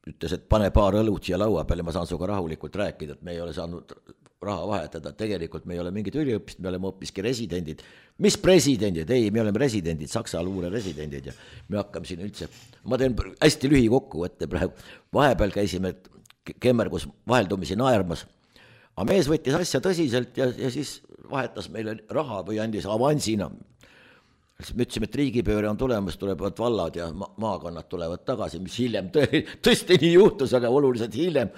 ütles, et pane paar õlut siia laua peale, ma saan suga rahulikult rääkida, et me ei ole saanud raha vahetada, tegelikult me ei ole mingid üliõpist, me oleme hoopiski residendid. Mis presidendid? Ei, me oleme residendid, Saksa luure residendid ja me hakkame siin üldse, ma teen hästi lühi kokkuvõtte praegu, vahepeal käisime kemmergus vaheldumisi naermas, aga mees võttis asja tõsiselt ja, ja siis vahetas meile raha või andis avansina. Me ütlesime, et riigipööre on tulemas, tulevad vallad ja ma- maakonnad tulevad tagasi, mis hiljem tõ- tõesti nii juhtus, aga oluliselt hiljem.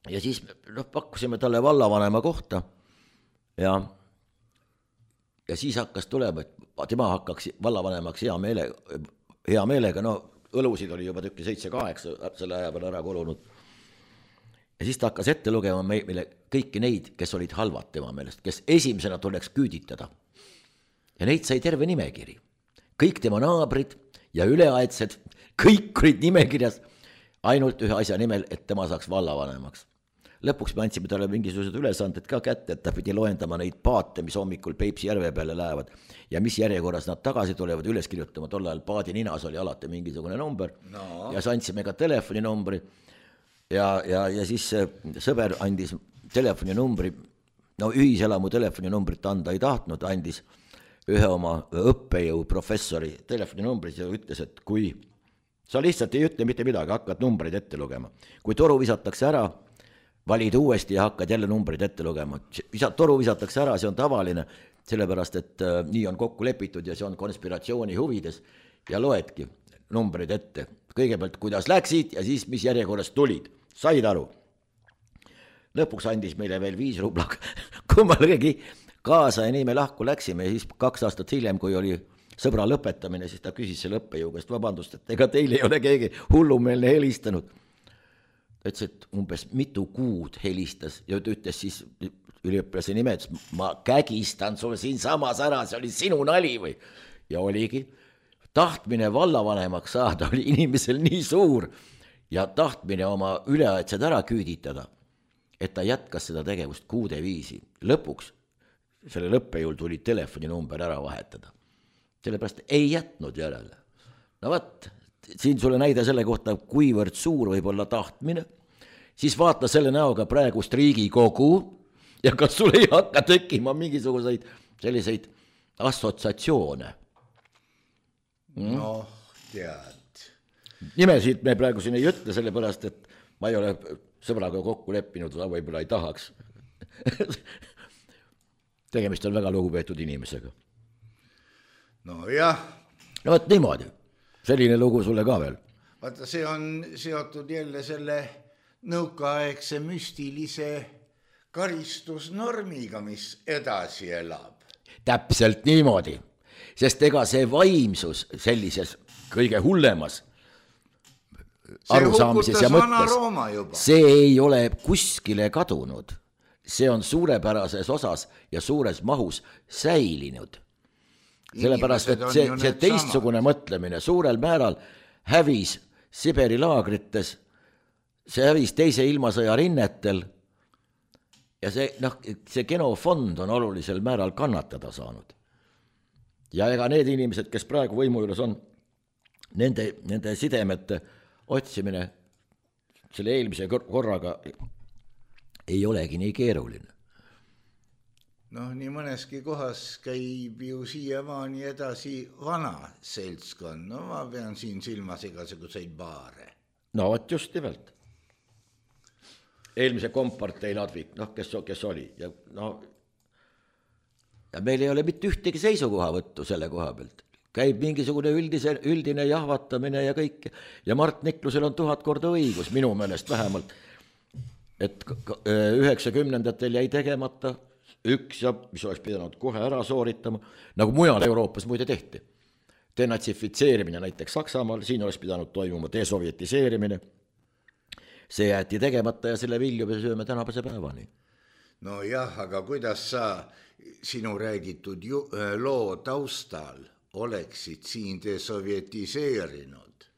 Ja siis noh, pakkusime talle vallavanema kohta ja, ja siis hakkas tulema, et tema hakkaks vallavanemaks hea meele, hea meelega, no õlusid oli juba tükki seitse-kaheksa selle aja peale ära kolunud. Ja siis ta hakkas ette lugema meile kõiki neid, kes olid halvad tema meelest, kes esimesena tuleks küüditada. Ja neid sai terve nimekiri. Kõik tema naabrid ja üleaedsed, kõik olid nimekirjas ainult ühe asja nimel, et tema saaks vallavanemaks. Lõpuks me andsime talle mingisugused ülesanded ka kätte, et ta pidi loendama neid paate, mis hommikul Peipsi järve peale lähevad ja mis järjekorras nad tagasi tulevad üles kirjutama. Tol ajal paadi ninas oli alati mingisugune number no. Ja sa andsime ka telefoninumbri ja, ja, ja siis sõber andis telefoninumbri, no ühiselamu telefoninumbrit anda ei tahtnud, andis ühe oma õppejõu professori telefoninumbris ja ütles, et kui sa lihtsalt ei ütle mitte midagi, hakkad numbreid ette lugema. Kui toru visatakse ära, valid uuesti ja hakkad jälle numbrid ette lugema. Toru visatakse ära, see on tavaline, sellepärast, et äh, nii on kokku lepitud ja see on konspiratsiooni huvides ja loedki numbrid ette. Kõigepealt, kuidas läksid ja siis, mis järjekorras tulid. Said aru? Lõpuks andis meile veel viis rubla kummalegi kaasa ja nii me lahku läksime ja siis kaks aastat hiljem, kui oli sõbra lõpetamine, siis ta küsis selle õppejõugast vabandust, et ega teil ei ole keegi hullumeelne helistanud. Ta ütles, et umbes mitu kuud helistas ja ütles siis üliõpilase nimed, ma kägistan sul siin samas ära, see oli sinu nali või? Ja oligi, tahtmine vallavanemaks saada oli inimesel nii suur ja tahtmine oma üleaetsed ära küüditada, et ta jätkas seda tegevust kuude viisi. Lõpuks selle lõppejõul tuli telefoninumber ära vahetada. Sellepärast ei jätnud järele. No võt, siin sulle näide selle kohta, kuivõrd suur võib olla tahtmine, siis vaata selle näoga praegust Riigikogu ja kas sul ei hakka tekkima mingisuguseid selliseid assotsiatsioone. Mm? No, tead. Nimesid me praegu siin ei ütle, sellepärast, et ma ei ole sõbraga kokku leppinud, võib-olla ei tahaks. Tegemist on väga lugupeetud inimesega. No jah. No võt niimoodi. Selline lugu sulle ka veel. Vaata, see on seotud jälle selle nõukaaegse müstilise karistusnormiga, mis edasi elab. Täpselt niimoodi, sest ega see vaimsus sellises kõige hullemas arusaamises ja mõttes, see ei ole kuskile kadunud. See on suurepärases osas ja suures mahus säilinud. Sellepärast, et see, see teistsugune sama. Mõtlemine suurel määral hävis Siberi laagrites, see hävis teise ilmasõja rinnetel ja see, noh, see genofond on olulisel määral kannatada saanud. Ja ega need inimesed, kes praegu võimu juures on, nende, nende sidemete otsimine selle eelmise korraga ei olegi nii keeruline. Noh, nii mõneski kohas käib ju siiamaani edasi vana seltskond. No ma pean siin silmas igasuguseid baare. No, võt just nimelt. Eelmise kompartei Ladvik, noh, kes, kes oli. Ja, no, ja meil ei ole mitte ühtegi seisukoha võttu selle koha pealt. Käib mingisugune üldise, üldine jahvatamine ja kõik. Ja Mart Niklusel on tuhat korda õigus, minu meelest vähemalt. Et üheksakümnendatel jäi tegemata üks ja mis oleks pidanud kohe ära sooritama, nagu mujal Euroopas muide tehti. Denatsifitseerimine näiteks Saksamaal, siin oleks pidanud toimuma desovjetiseerimine. See jäeti tegemata ja selle vilju me sööme tänapase päevani. No jah, aga kuidas sa sinu räägitud ju, loo taustal oleksid siin desovjetiseerinud?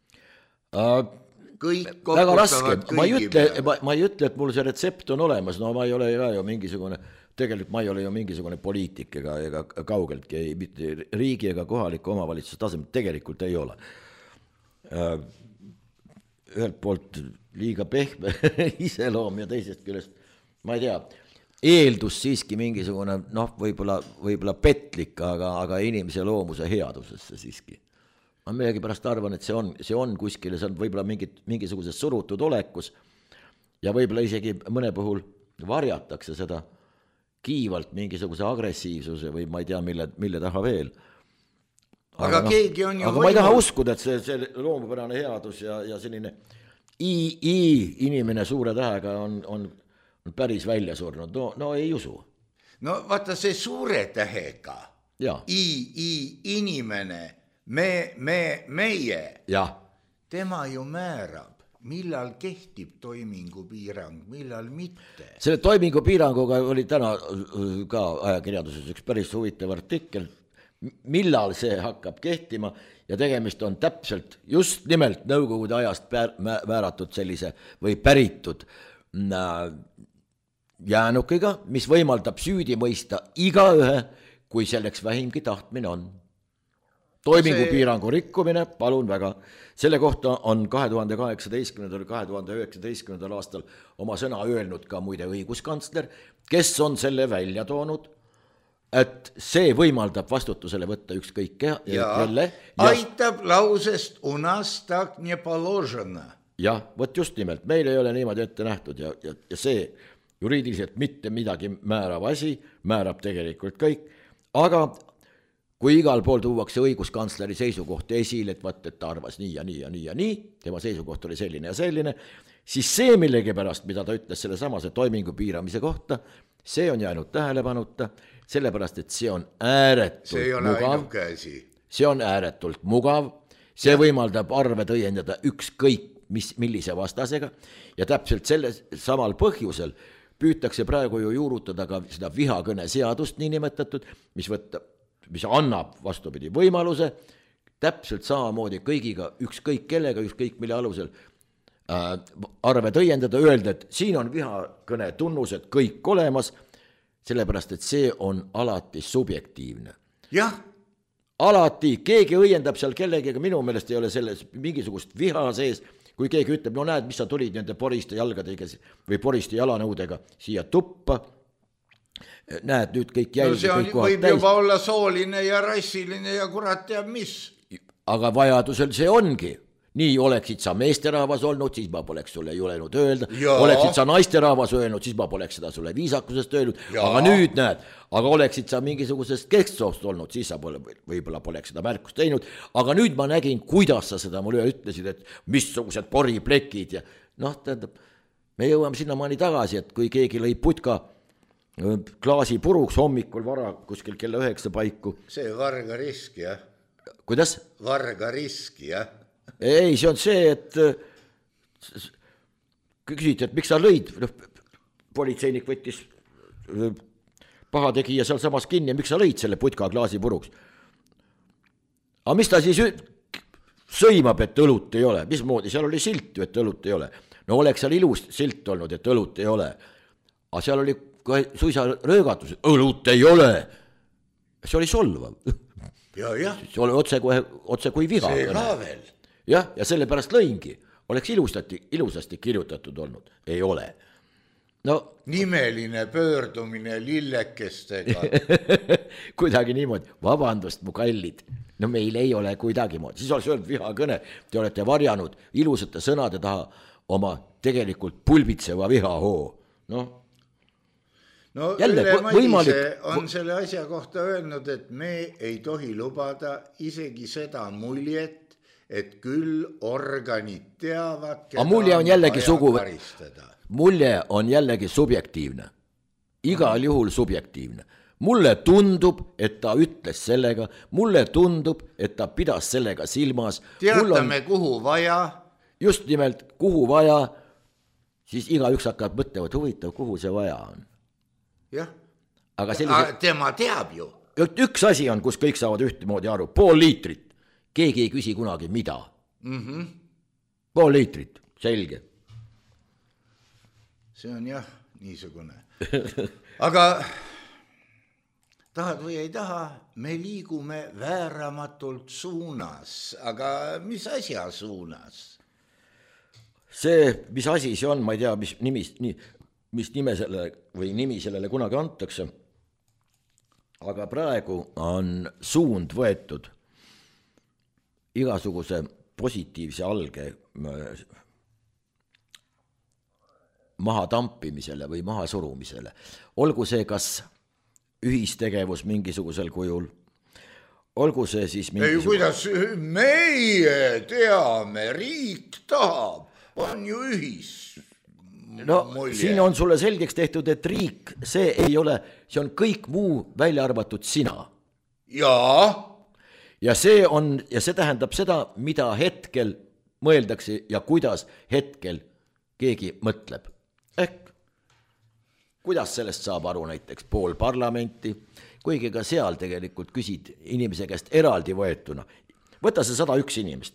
Kõik väga raske, ma ei, ütle, ma, ma ei ütle, et mul see retsept on olemas, no ma ei ole ju mingisugune, tegelikult ma ei ole ju mingisugune poliitik ega, ega kaugeltki ei, mitte riigi ega kohaliku omavalitsuse tasemel tegelikult ei ole. Ühelt poolt liiga pehme iseloom ja teisest küljest, ma ei tea, eeldus siiski mingisugune, noh, võib-olla, võib-olla petlik, aga, aga inimese loomuse headusesse siiski. Ma millegi pärast arvan, et see on, see on kuskil, see on võib-olla mingit, mingisuguses surutud olekus ja võib-olla isegi mõne puhul varjatakse seda kiivalt mingisuguse agressiivsuse või ma ei tea, mille, mille taha veel. Aga, aga, no, keegi on ju aga ma ei taha uskuda, et see, see loomupärane headus ja, ja selline I, I inimene suure tähega on, on, on päris välja surnud. No, no ei usu. No vaata see suure tähega Ja. I, I, inimene, me, me, meie, jah, tema ju määrab, millal kehtib toimingupiirang, millal mitte. selle toimingupiiranguga oli täna ka ajakirjanduses üks päris huvitav artikkel, millal see hakkab kehtima ja tegemist on täpselt just nimelt nõukogude ajast määratud sellise või päritud jäänukiga, mis võimaldab süüdi mõista igaühe, kui selleks vähimgi tahtmine on. Toimingupiirangu rikkumine, palun väga. Selle kohta on kahe tuhande kaheksateistkümnendal ja kahe tuhande üheksateistkümnendal aastal oma sõna öelnud ka muide õiguskantsler, kes on selle välja toonud, et see võimaldab vastutusele võtta ükskõik kelle. Ja aitab lausest у нас так не положено. Jah, võt just nimelt, meil ei ole niimoodi ette nähtud ja, ja, ja see juriidiliselt mitte midagi määrab asi, määrab tegelikult kõik, aga kui igal pool tuuakse õiguskantsleri seisukohti esile, et vaat, et ta arvas nii ja nii ja nii ja nii, tema seisukoht oli selline ja selline, siis see millegipärast, mida ta ütles selle samase toimingu piiramise kohta, see on jäänud tähelepanuta, sellepärast, et see on ääretult see ei ole mugav, see on ääretult mugav, see ja. Võimaldab arve tõiendada ükskõik mis, millise vastasega ja täpselt selle samal põhjusel püütakse praegu ju juurutada ka seda vihakõne seadust niinimetatud, mis võtta mis annab vastupidi võimaluse täpselt samamoodi kõigiga, ükskõik kellega, ükskõik mille alusel äh, arve tõiendada, öelda, et siin on vihakõne tunnused kõik olemas, sellepärast, et see on alati subjektiivne. Jah. Alati, keegi õiendab seal kellegiga, minu meelest ei ole selles mingisugust viha sees, kui keegi ütleb, no näed, mis sa tulid nende poriste jalgadega või poriste jalanõudega siia tuppa, näed nüüd kõik jälgi, no see on, kõik kohad võib täis. Juba olla sooline ja rassiline ja kurat teab mis. Aga vajadusel see ongi. Nii oleksid sa meesterahvas olnud, siis ma poleks sulle julenud öelda. Ja. Oleksid sa naisterahvas öelnud, siis ma poleks seda sulle viisakusest öelnud. Ja. Aga nüüd näed, aga oleksid sa mingisugusest kesksoost olnud, siis sa pole, võib-olla poleks seda märkust teinud. Aga nüüd ma nägin, kuidas sa seda mulle ütlesid, et missugused poriplekid ja noh, tähendab, me jõuame sinna maani tagasi, et kui keegi lõi putka klaasi puruks hommikul vara kuskil kella üheksa paiku. See varga risk, jah. Kuidas? Varga risk, jah. Ei, see on see, et küsiti, et miks sa lõid? Politseinik võttis pahategija seal samas kinni ja miks sa lõid selle putka klaasi puruks? Aga mis ta siis sõimab, et õlut ei ole? Mismoodi? Seal oli silt ju, et õlut ei ole. No oleks seal ilus silt olnud, et õlut ei ole. Aga seal oli suisa röögatus, õlut ei ole. See oli solvav. Ja, jah. See oli otse, kohe, otse kui viha. See ka veel. Jah, ja sellepärast lõingi. Oleks ilusasti, ilusasti kirjutatud olnud. Ei ole. No, nimeline pöördumine lillekestega. kuidagi niimoodi. Vabandust, mu kallid. No meil ei ole kuidagi moodi. Siis oleks öelnud vihakõne. Te olete varjanud ilusate sõnade taha oma tegelikult pulbitseva vihahoo. Noh, no jälle, Ülle Madise võimalik... on selle asja kohta öelnud, et me ei tohi lubada isegi seda muljet, et küll organid teavad, keda mulje on jällegi sugu... karistada. Mulje on jällegi subjektiivne. Igal juhul subjektiivne. Mulle tundub, et ta ütles sellega, mulle tundub, et ta pidas sellega silmas. Teatame, on... kuhu vaja. Just nimelt, kuhu vaja, siis iga üks hakkab mõtlema, et huvitav, kuhu see vaja on. Jah, aga sellise... tema teab ju. Üks asi on, kus kõik saavad ühtemoodi aru, pool liitrit. Keegi ei küsi kunagi mida. Mm-hmm. Pool liitrit, selge. See on jah, niisugune. Aga tahad või ei taha, me liigume vääramatult suunas. Aga mis asja suunas? See, mis asi see on, ma ei tea, mis nimis... Nii... mis nime sellele või nimi sellele kunagi antakse. Aga praegu on suund võetud igasuguse positiivse alge maha tampimisele või maha surumisele. Olgu see kas ühistegevus mingisugusel kujul, olgu see siis mingisugune... Ei, kuidas meie teame, riik tahab, on ju ühis... No mulje. Siin on sulle selgeks tehtud, et riik, see ei ole, see on kõik muu välja arvatud sina. jaa. ja see on, ja see tähendab seda, mida hetkel mõeldakse ja kuidas hetkel keegi mõtleb. Ehk kuidas sellest saab aru näiteks pool parlamenti, kuigi ka seal tegelikult küsid inimese käest eraldi võetuna. Võta see sada üks inimest.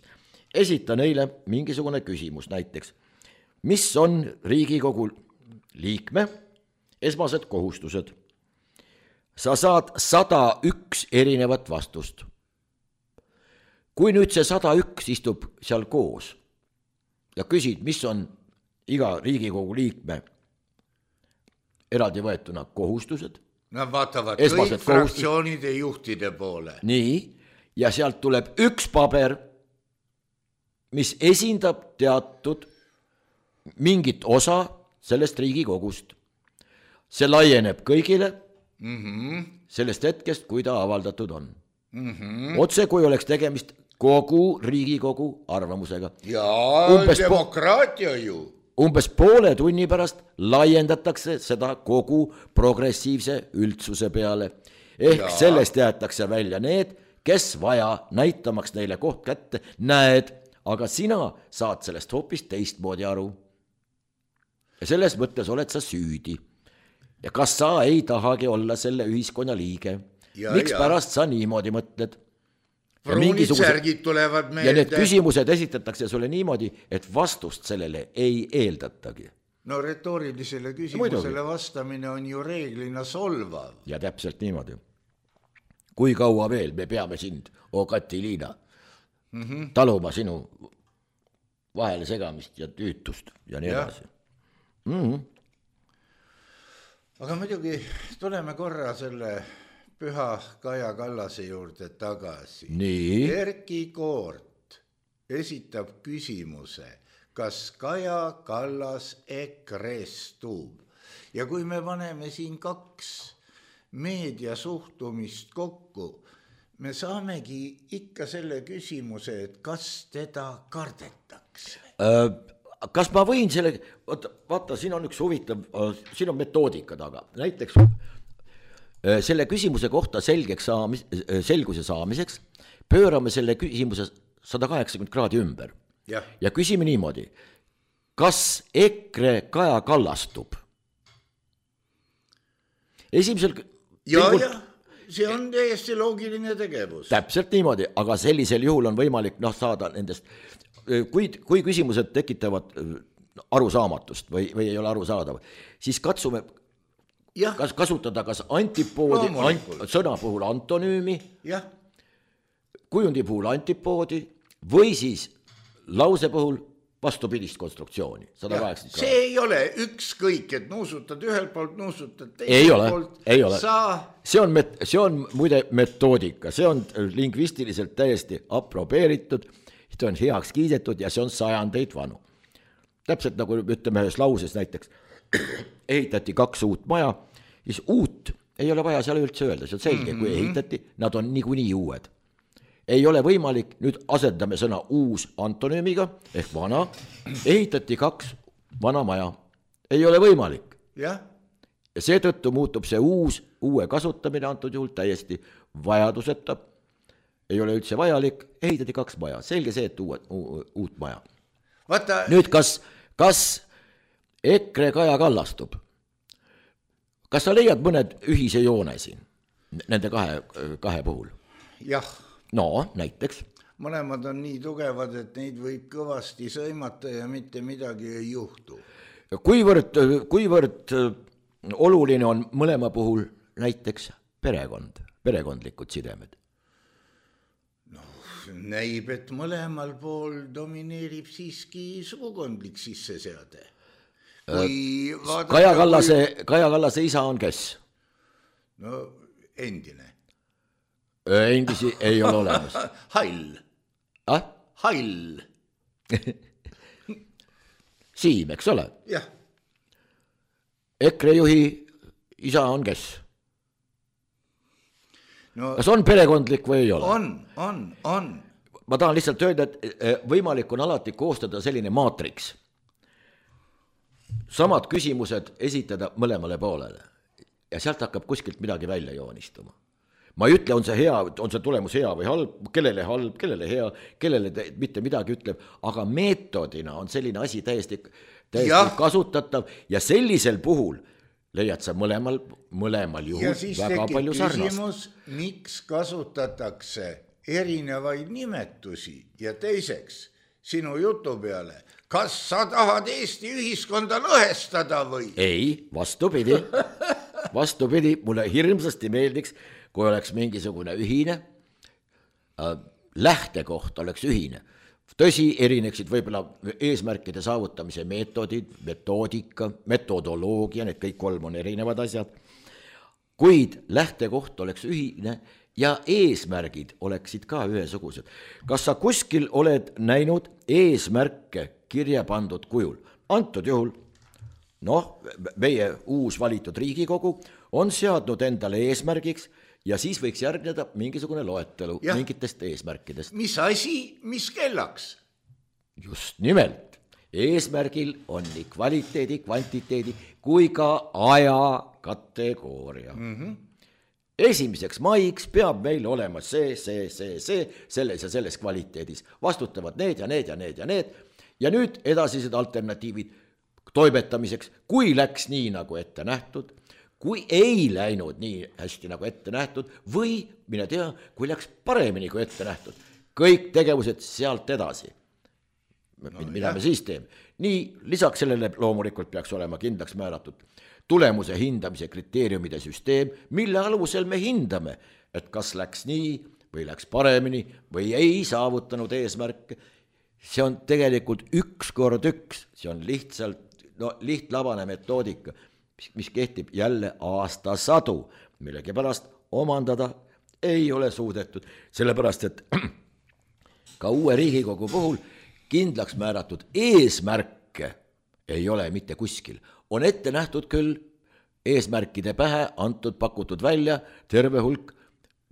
Esita neile mingisugune küsimus näiteks. Mis on Riigikogu liikme esmased kohustused? Sa saad sada üks erinevat vastust. Kui nüüd see sada üks istub seal koos ja küsid, mis on iga Riigikogu liikme eraldi võetuna kohustused. Nad vaatavad kõik fraktsioonide juhtide poole. Nii, ja sealt tuleb üks paber, mis esindab teatud mingit osa sellest Riigikogust. See laieneb kõigile mm-hmm. sellest hetkest, kui ta avaldatud on. Mm-hmm. Otse, kui oleks tegemist kogu Riigikogu arvamusega. Jaa, umbes demokraatia ju. Umbes poole tunni pärast laiendatakse seda kogu progressiivse üldsuse peale. Ehk ja. Sellest jäetakse välja need, kes vaja näitamaks neile koht kätte, näed, aga sina saad sellest hoopis teistmoodi aru. Ja selles mõttes oled sa süüdi. Ja kas sa ei tahagi olla selle ühiskonna liige? Ja, miks ja. Pärast sa niimoodi mõtled? Ja, tulevad meelde. Ja need küsimused esitatakse sulle niimoodi, et vastust sellele ei eeldatagi. No retoorilisele küsimusele vastamine on ju reeglina solvav. Ja täpselt niimoodi. Kui kaua veel me peame sind, o Katiliina, mm-hmm. taluma sinu vahele segamist ja tüütust ja nii edasi. Mm-hmm. Aga muidugi tuleme korra selle Püha Kaja Kallase juurde tagasi. Nii. Erki Koort esitab küsimuse, kas Kaja Kallas ekrestub. Ja kui me paneme siin kaks meedia suhtumist kokku, me saamegi ikka selle küsimuse, et kas teda kardetakse. Äh, kas ma võin selle, vaata, vaata, siin on üks huvitav, siin on metoodika taga. Näiteks selle küsimuse kohta selgeks saamis, selguse saamiseks pöörame selle küsimuse sada kaheksakümmend kraadi ümber ja. Ja küsime niimoodi, kas EKRE Kaja Kallastub? Esimesel ja, pingul... ja, see on täiesti loogiline tegevus. Täpselt niimoodi, aga sellisel juhul on võimalik noh, saada nendest, kui, kui küsimused tekitavad arusaamatust või, või ei ole arusaadav, siis katsume Ja. Kas kasutada kas antipoodi, ant, sõna puhul antonüümi, ja. Kujundi puhul antipoodi või siis lause puhul vastupidist konstruktsiooni. See ei ole ükskõik, et nuusutad ühelt poolt, nuusutad teiselt ei ole, poolt. Ei ole, Sa... see, on met, see on muide metoodika, see on lingvistiliselt täiesti aprobeeritud, see on heaks kiidetud ja see on sajandeid vanu. Täpselt nagu ütleme ühes lauses näiteks, ehitati kaks uut maja, siis uut ei ole vaja seal üldse öelda, see on selge, mm-hmm. kui ehitati, nad on niikuinii uued. Ei ole võimalik, nüüd asendame sõna uus antonüümiga, ehk vana, ehitati kaks vana maja. Ei ole võimalik. Ja, ja seetõttu muutub see uus, uue kasutamine antud juhul täiesti vajaduseta, ei ole üldse vajalik, ehitati kaks maja, selge see, et uue, uut maja. Vaata... Nüüd kas, kas EKRE Kaja Kallastub. Kas sa leiad mõned ühise joone siin nende kahe, kahe puhul? Jah. No, näiteks. Mõlemad on nii tugevad, et neid võib kõvasti sõimata ja mitte midagi ei juhtu. Kuivõrd, kuivõrd oluline on mõlema puhul näiteks perekond, perekondlikud sidemed? No, näib, et mõlemal pool domineerib siiski sugukondlik sisseseade. Vaadata, Kaja Kallase, kui... Kaja Kallase isa on kes? No, endine. Endisi ei ole olemas. Hall. Ah? Hall. Siim, eks ole? Jah. EKRE juhi isa on kes? No, kas on perekondlik või ei ole? On, on, on. Ma tahan lihtsalt öelda, et võimalik on alati koostada selline maatriks. Samad küsimused esitada mõlemale poolele ja sealt hakkab kuskilt midagi välja joonistuma. ma ei ütle, on see hea, on see tulemus hea või halb, kellele halb, kellele hea, kellele te, mitte midagi ütleb, aga meetodina on selline asi täiesti, täiesti ja. kasutatav ja sellisel puhul leiad sa mõlemal, mõlemal juhul väga palju sarnast. Miks kasutatakse erinevaid nimetusi ja teiseks sinu jutu peale, kas sa tahad Eesti ühiskonda lõhestada või? Ei, vastupidi, vastupidi, mulle hirmsasti meeldiks, kui oleks mingisugune ühine, äh, lähtekoht oleks ühine. Tõsi, erineksid võib-olla eesmärkide saavutamise meetodid, metoodika, metodoloogia, need kõik kolm on erinevad asjad, kuid lähtekoht oleks ühine ja eesmärgid oleksid ka ühesugused. Kas sa kuskil oled näinud eesmärke kirja pandud kujul? Antud juhul, noh, meie uus valitud Riigikogu on seadnud endale eesmärgiks ja siis võiks järgneda mingisugune loetelu ja. Mingitest eesmärkidest. Mis asi, mis kellaks? Just nimelt. Eesmärgil on nii kvaliteedi, kvantiteedi kui ka aja kategooria. Mm-hmm. Esimeseks maiks peab meil olema see, see, see, see, selles ja selles kvaliteedis. Vastutavad need ja need ja need ja need. Ja nüüd edasised alternatiivid toimetamiseks, kui läks nii nagu ette nähtud, kui ei läinud nii hästi nagu ette nähtud või, mine tea, kui läks paremini kui ette nähtud. Kõik tegevused sealt edasi. No, mida jah. Me siis teeme? Nii, lisaks sellele loomulikult peaks olema kindlaks määratud tulemuse hindamise kriteeriumide süsteem, mille alusel me hindame, et kas läks nii või läks paremini või ei saavutanud eesmärke. See on tegelikult üks kord üks, see on lihtsalt no, lihtlabane metoodika, mis kehtib jälle aastasadu, millegi pärast omandada ei ole suudetud, sellepärast et ka uue Riigikogu puhul kindlaks määratud eesmärke ei ole mitte kuskil. On ette nähtud küll eesmärkide pähe antud, pakutud välja terve hulk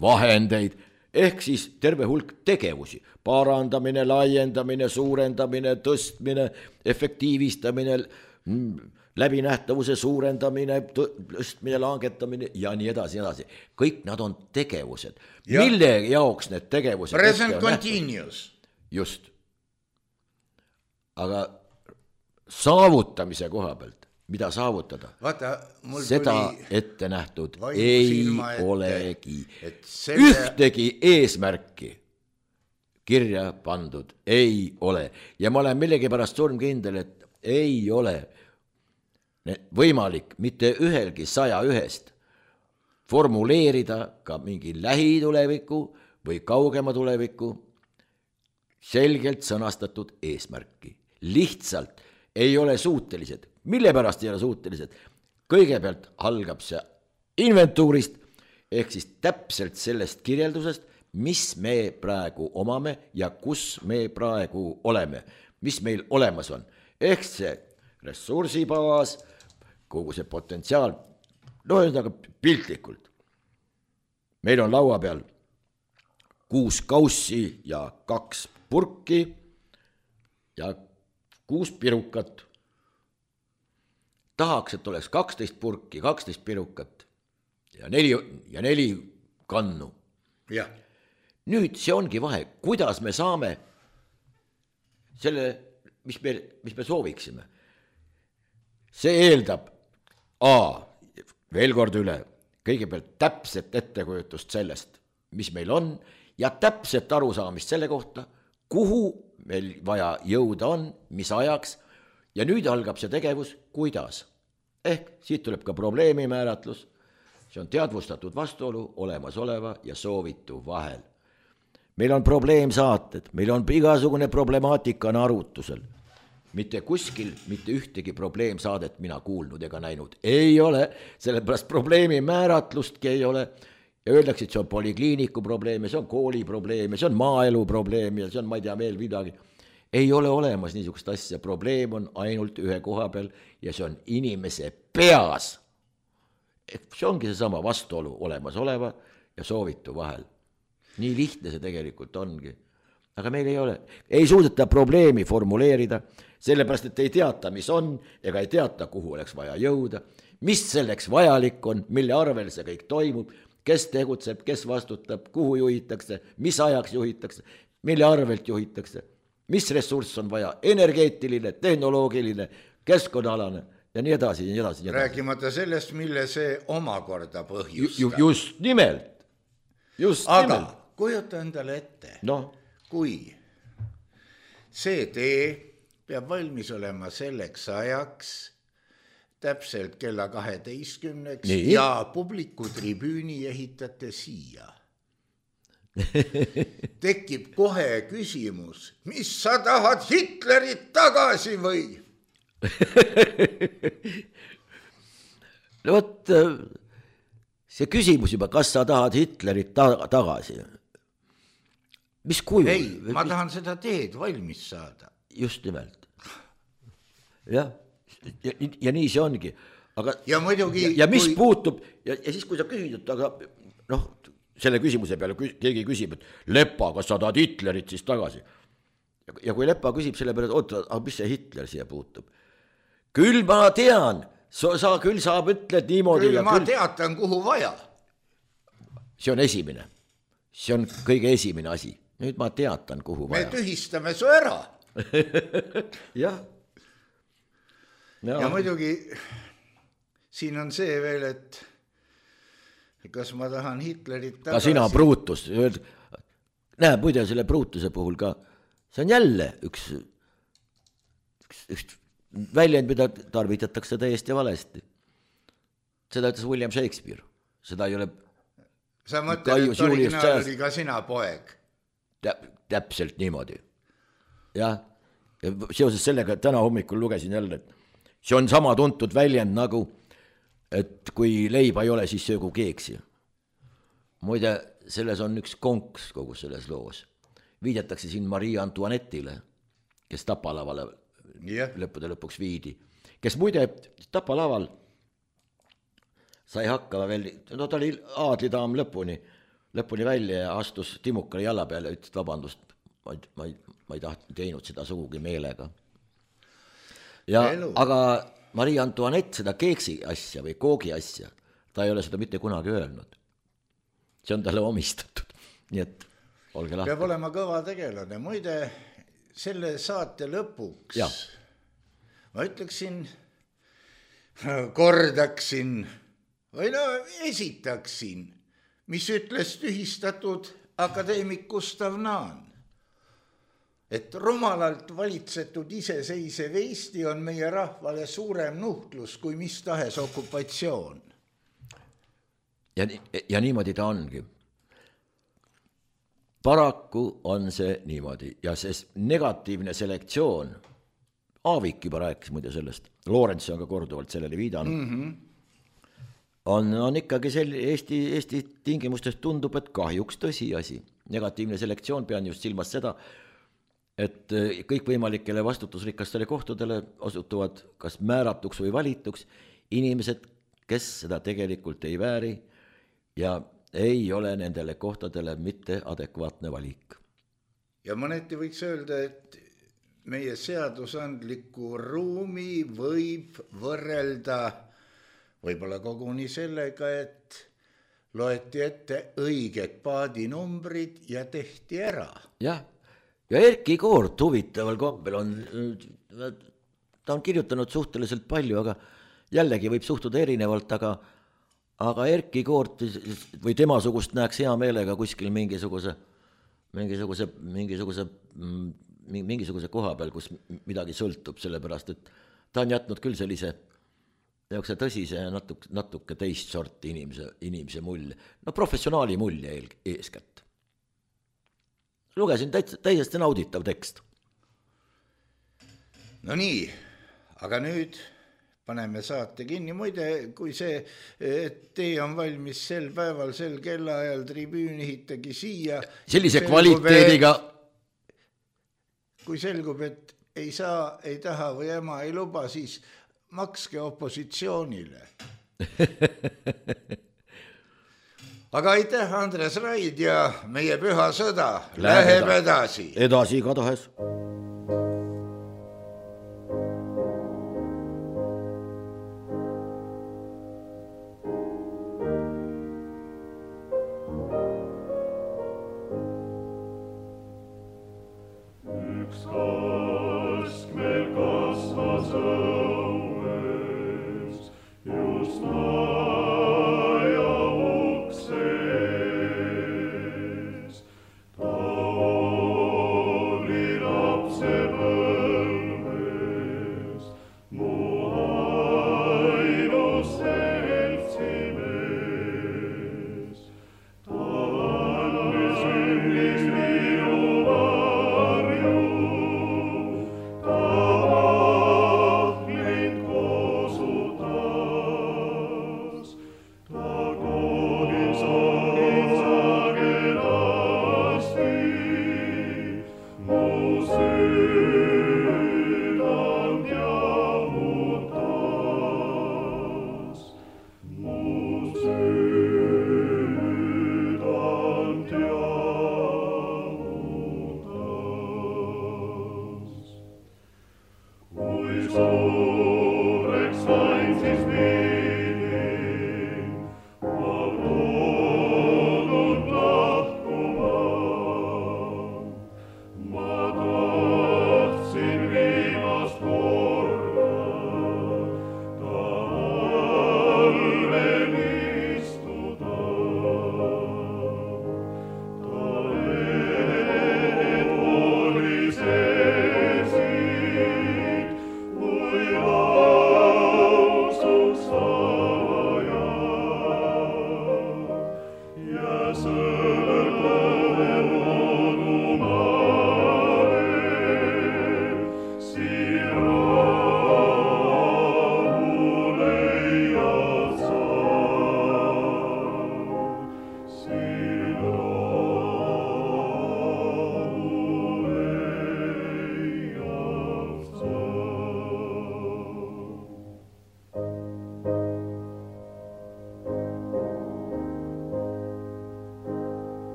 vahendeid, ehk siis terve hulk tegevusi, parandamine, laiendamine, suurendamine, tõstmine, efektiivistamine, läbinähtavuse suurendamine, tõstmine, langetamine ja nii edasi, edasi. Kõik nad on tegevused. Ja. Mille jaoks need tegevused? Present continuous. Just. Aga saavutamise koha pealt, mida saavutada? Vaata, mul seda ette nähtud ei ette, olegi. Selle... Ühtegi eesmärki kirja pandud ei ole. Ja ma olen millegi pärast surmkindel, et ei ole võimalik mitte ühelgi saja ühest formuleerida ka mingi lähituleviku või kaugema tuleviku selgelt sõnastatud eesmärki. Lihtsalt ei ole suutelised. Mille pärast ei ole suutelised? Kõigepealt algab see inventuurist, ehk siis täpselt sellest kirjeldusest, mis me praegu omame ja kus me praegu oleme, mis meil olemas on. Ehk see ressursibaas, kogu see potentsiaal, no ühesõnaga piltlikult. Meil on laua peal kuus kaussi ja kaks purki ja kuus pirukat. Tahaks, et oleks kaksteist purki, kaksteist pirukat ja neli, ja neli kannu. Ja. Nüüd see ongi vahe, kuidas me saame selle, mis me, mis me sooviksime. See eeldab A, veel kord üle, kõigepealt täpset ettekujutust sellest, mis meil on, ja täpset arusaamist selle kohta, kuhu meil vaja jõuda on, mis ajaks, ja nüüd algab see tegevus, kuidas. Ehk siit tuleb ka probleemi määratlus, see on teadvustatud vastuolu olemasoleva ja soovitu vahel. Meil on probleemsaated, meil on igasugune problemaatika on arutusel. Mitte kuskil, mitte ühtegi probleemsaadet mina kuulnud ega näinud. Ei ole, sellepärast probleemi määratlustki ei ole. Ja öeldakse, et see on polikliiniku probleem, see on kooli probleem, see on maaelu probleem ja see on, ma ei tea, veel midagi. Ei ole olemas niisugust asja. Probleem on ainult ühe koha peal ja see on inimese peas. See ongi see sama vastuolu olemasoleva ja soovitu vahel. Nii lihtne see tegelikult ongi. Aga meil ei ole. Ei suudeta probleemi formuleerida, sellepärast, et ei teata, mis on, ega ei teata, kuhu oleks vaja jõuda, mis selleks vajalik on, mille arvel see kõik toimub, kes tegutseb, kes vastutab, kuhu juhitakse, mis ajaks juhitakse, mille arvelt juhitakse, mis ressurss on vaja, energeetiline, tehnoloogiline, keskkonnaalane ja nii edasi, ja nii edasi, nii edasi. Rääkimata sellest, mille see omakorda põhjustab. Ju, just nimelt. Just aga nimelt. kujuta endale ette, no. kui see tee peab valmis olema selleks ajaks täpselt kella kaheteistkümneks nii. Ja publiku tribüüni ehitate siia. Tekib kohe küsimus, mis sa tahad Hitlerit tagasi või? No vot, see küsimus juba, kas sa tahad Hitlerit ta- tagasi? Mis kujul? Ei, ma mis... tahan seda teed valmis saada. Just nimelt. Jah, ja, ja nii see ongi. Aga, ja, muidugi, ja, ja mis kui... puutub, ja, ja siis kui sa küsid, aga noh, selle küsimuse peale keegi küsib, et Lepa, kas sa tahad Hitlerit siis tagasi? Ja, ja kui Lepa küsib selle peale, et oota, aga mis see Hitler siia puutub? Küll ma tean, sa, sa küll saab ütled niimoodi. Küll ma küll... teatan, kuhu vaja. See on esimene. See on kõige esimene asi. Nüüd ma teatan, kuhu me vaja. Me tühistame su ära. Jah. Ja. ja muidugi siin on see veel, et kas ma tahan Hitlerit tagasi. Ka sina Brutus. Näe, muide selle Brutuse puhul ka. See on jälle üks, üks, üks väljend, mida tarvitatakse täiesti valesti. Seda ütles William Shakespeare. Seda ei ole... Sa mõtled, et originaal oli ka sina poeg. Täp, täpselt niimoodi. Ja, ja seoses sellega, et täna hommikul lugesin jälle, et see on sama tuntud väljend nagu, et kui leiba ei ole, siis söögu keeksi. Muide, selles on üks konks kogu selles loos. Viidatakse siin Marie Antoinettile, kes Tapalavale yeah. lõppude lõpuks viidi. Kes muide Tapalaval sai hakkama veel, no ta oli aadlidaam lõpuni, lõpuni välja ja astus Timukale jalla peale ja ütles, vabandust, ma ei, ma ei, ma ei taht, teinud seda sugugi meelega. Ja, Elu. Aga Marie Antoinette seda keeksi asja või koogi asja, ta ei ole seda mitte kunagi öelnud. See on talle omistatud, nii et olge lahti. Peab olema kõva tegelane. Muide, selle saate lõpuks ja. Ma ütleksin, kordaksin või no esitaksin, mis ütles tühistatud akadeemik Gustav Naan, et rumalalt valitsetud iseseisev Eesti on meie rahvale suurem nuhtlus kui mis tahes okupatsioon. Ja, ja niimoodi ta ongi. Paraku on see niimoodi ja see negatiivne selektsioon, Aavik juba rääkis muide sellest, Lorents on ka korduvalt sellele viidanud, mm-hmm. on, on ikkagi sel, Eesti, Eesti tingimustes tundub, et kahjuks tõsiasi. Negatiivne selektsioon pean just silmas seda, et kõikvõimalikele vastutusrikastele kohtadele osutuvad kas määratuks või valituks inimesed, kes seda tegelikult ei vääri ja ei ole nendele kohtadele mitte adekvaatne valik. Ja mõneti võiks öelda, et meie seadusandliku ruumi võib võrrelda võib-olla koguni sellega, et loeti ette õiged paadinumbrid ja tehti ära. Jah, ja Erki Koort huvitaval kombel on, ta on kirjutanud suhteliselt palju, aga jällegi võib suhtuda erinevalt, aga aga Erki Koort või temasugust näeks hea meelega kuskil mingisuguse mingisuguse, mingisuguse, mingisuguse koha peal, kus midagi sõltub, sellepärast, et ta on jätnud küll sellise tõsise ja natuke, natuke teist sorti inimese, inimese mulje. No professionaali mulje eeskätt. Lugesin täitsa, täiesti nauditav tekst. No nii, aga nüüd paneme saate kinni. Muide, kui see tee on valmis sel päeval, sel kellaajal tribüün ehitagi siia. Sellise kvaliteediga. Kui selgub, et ei saa, ei taha või ema ei luba, siis makske opositsioonile. Aga aitäh, Andres Raid ja meie püha sõda läheb edasi. Edasi igatahes.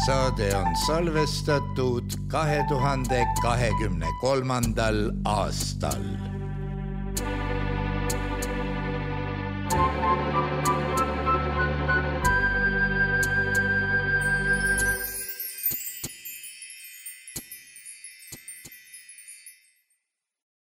Saade on salvestatud kahe tuhande kahekümne kolmandal aastal.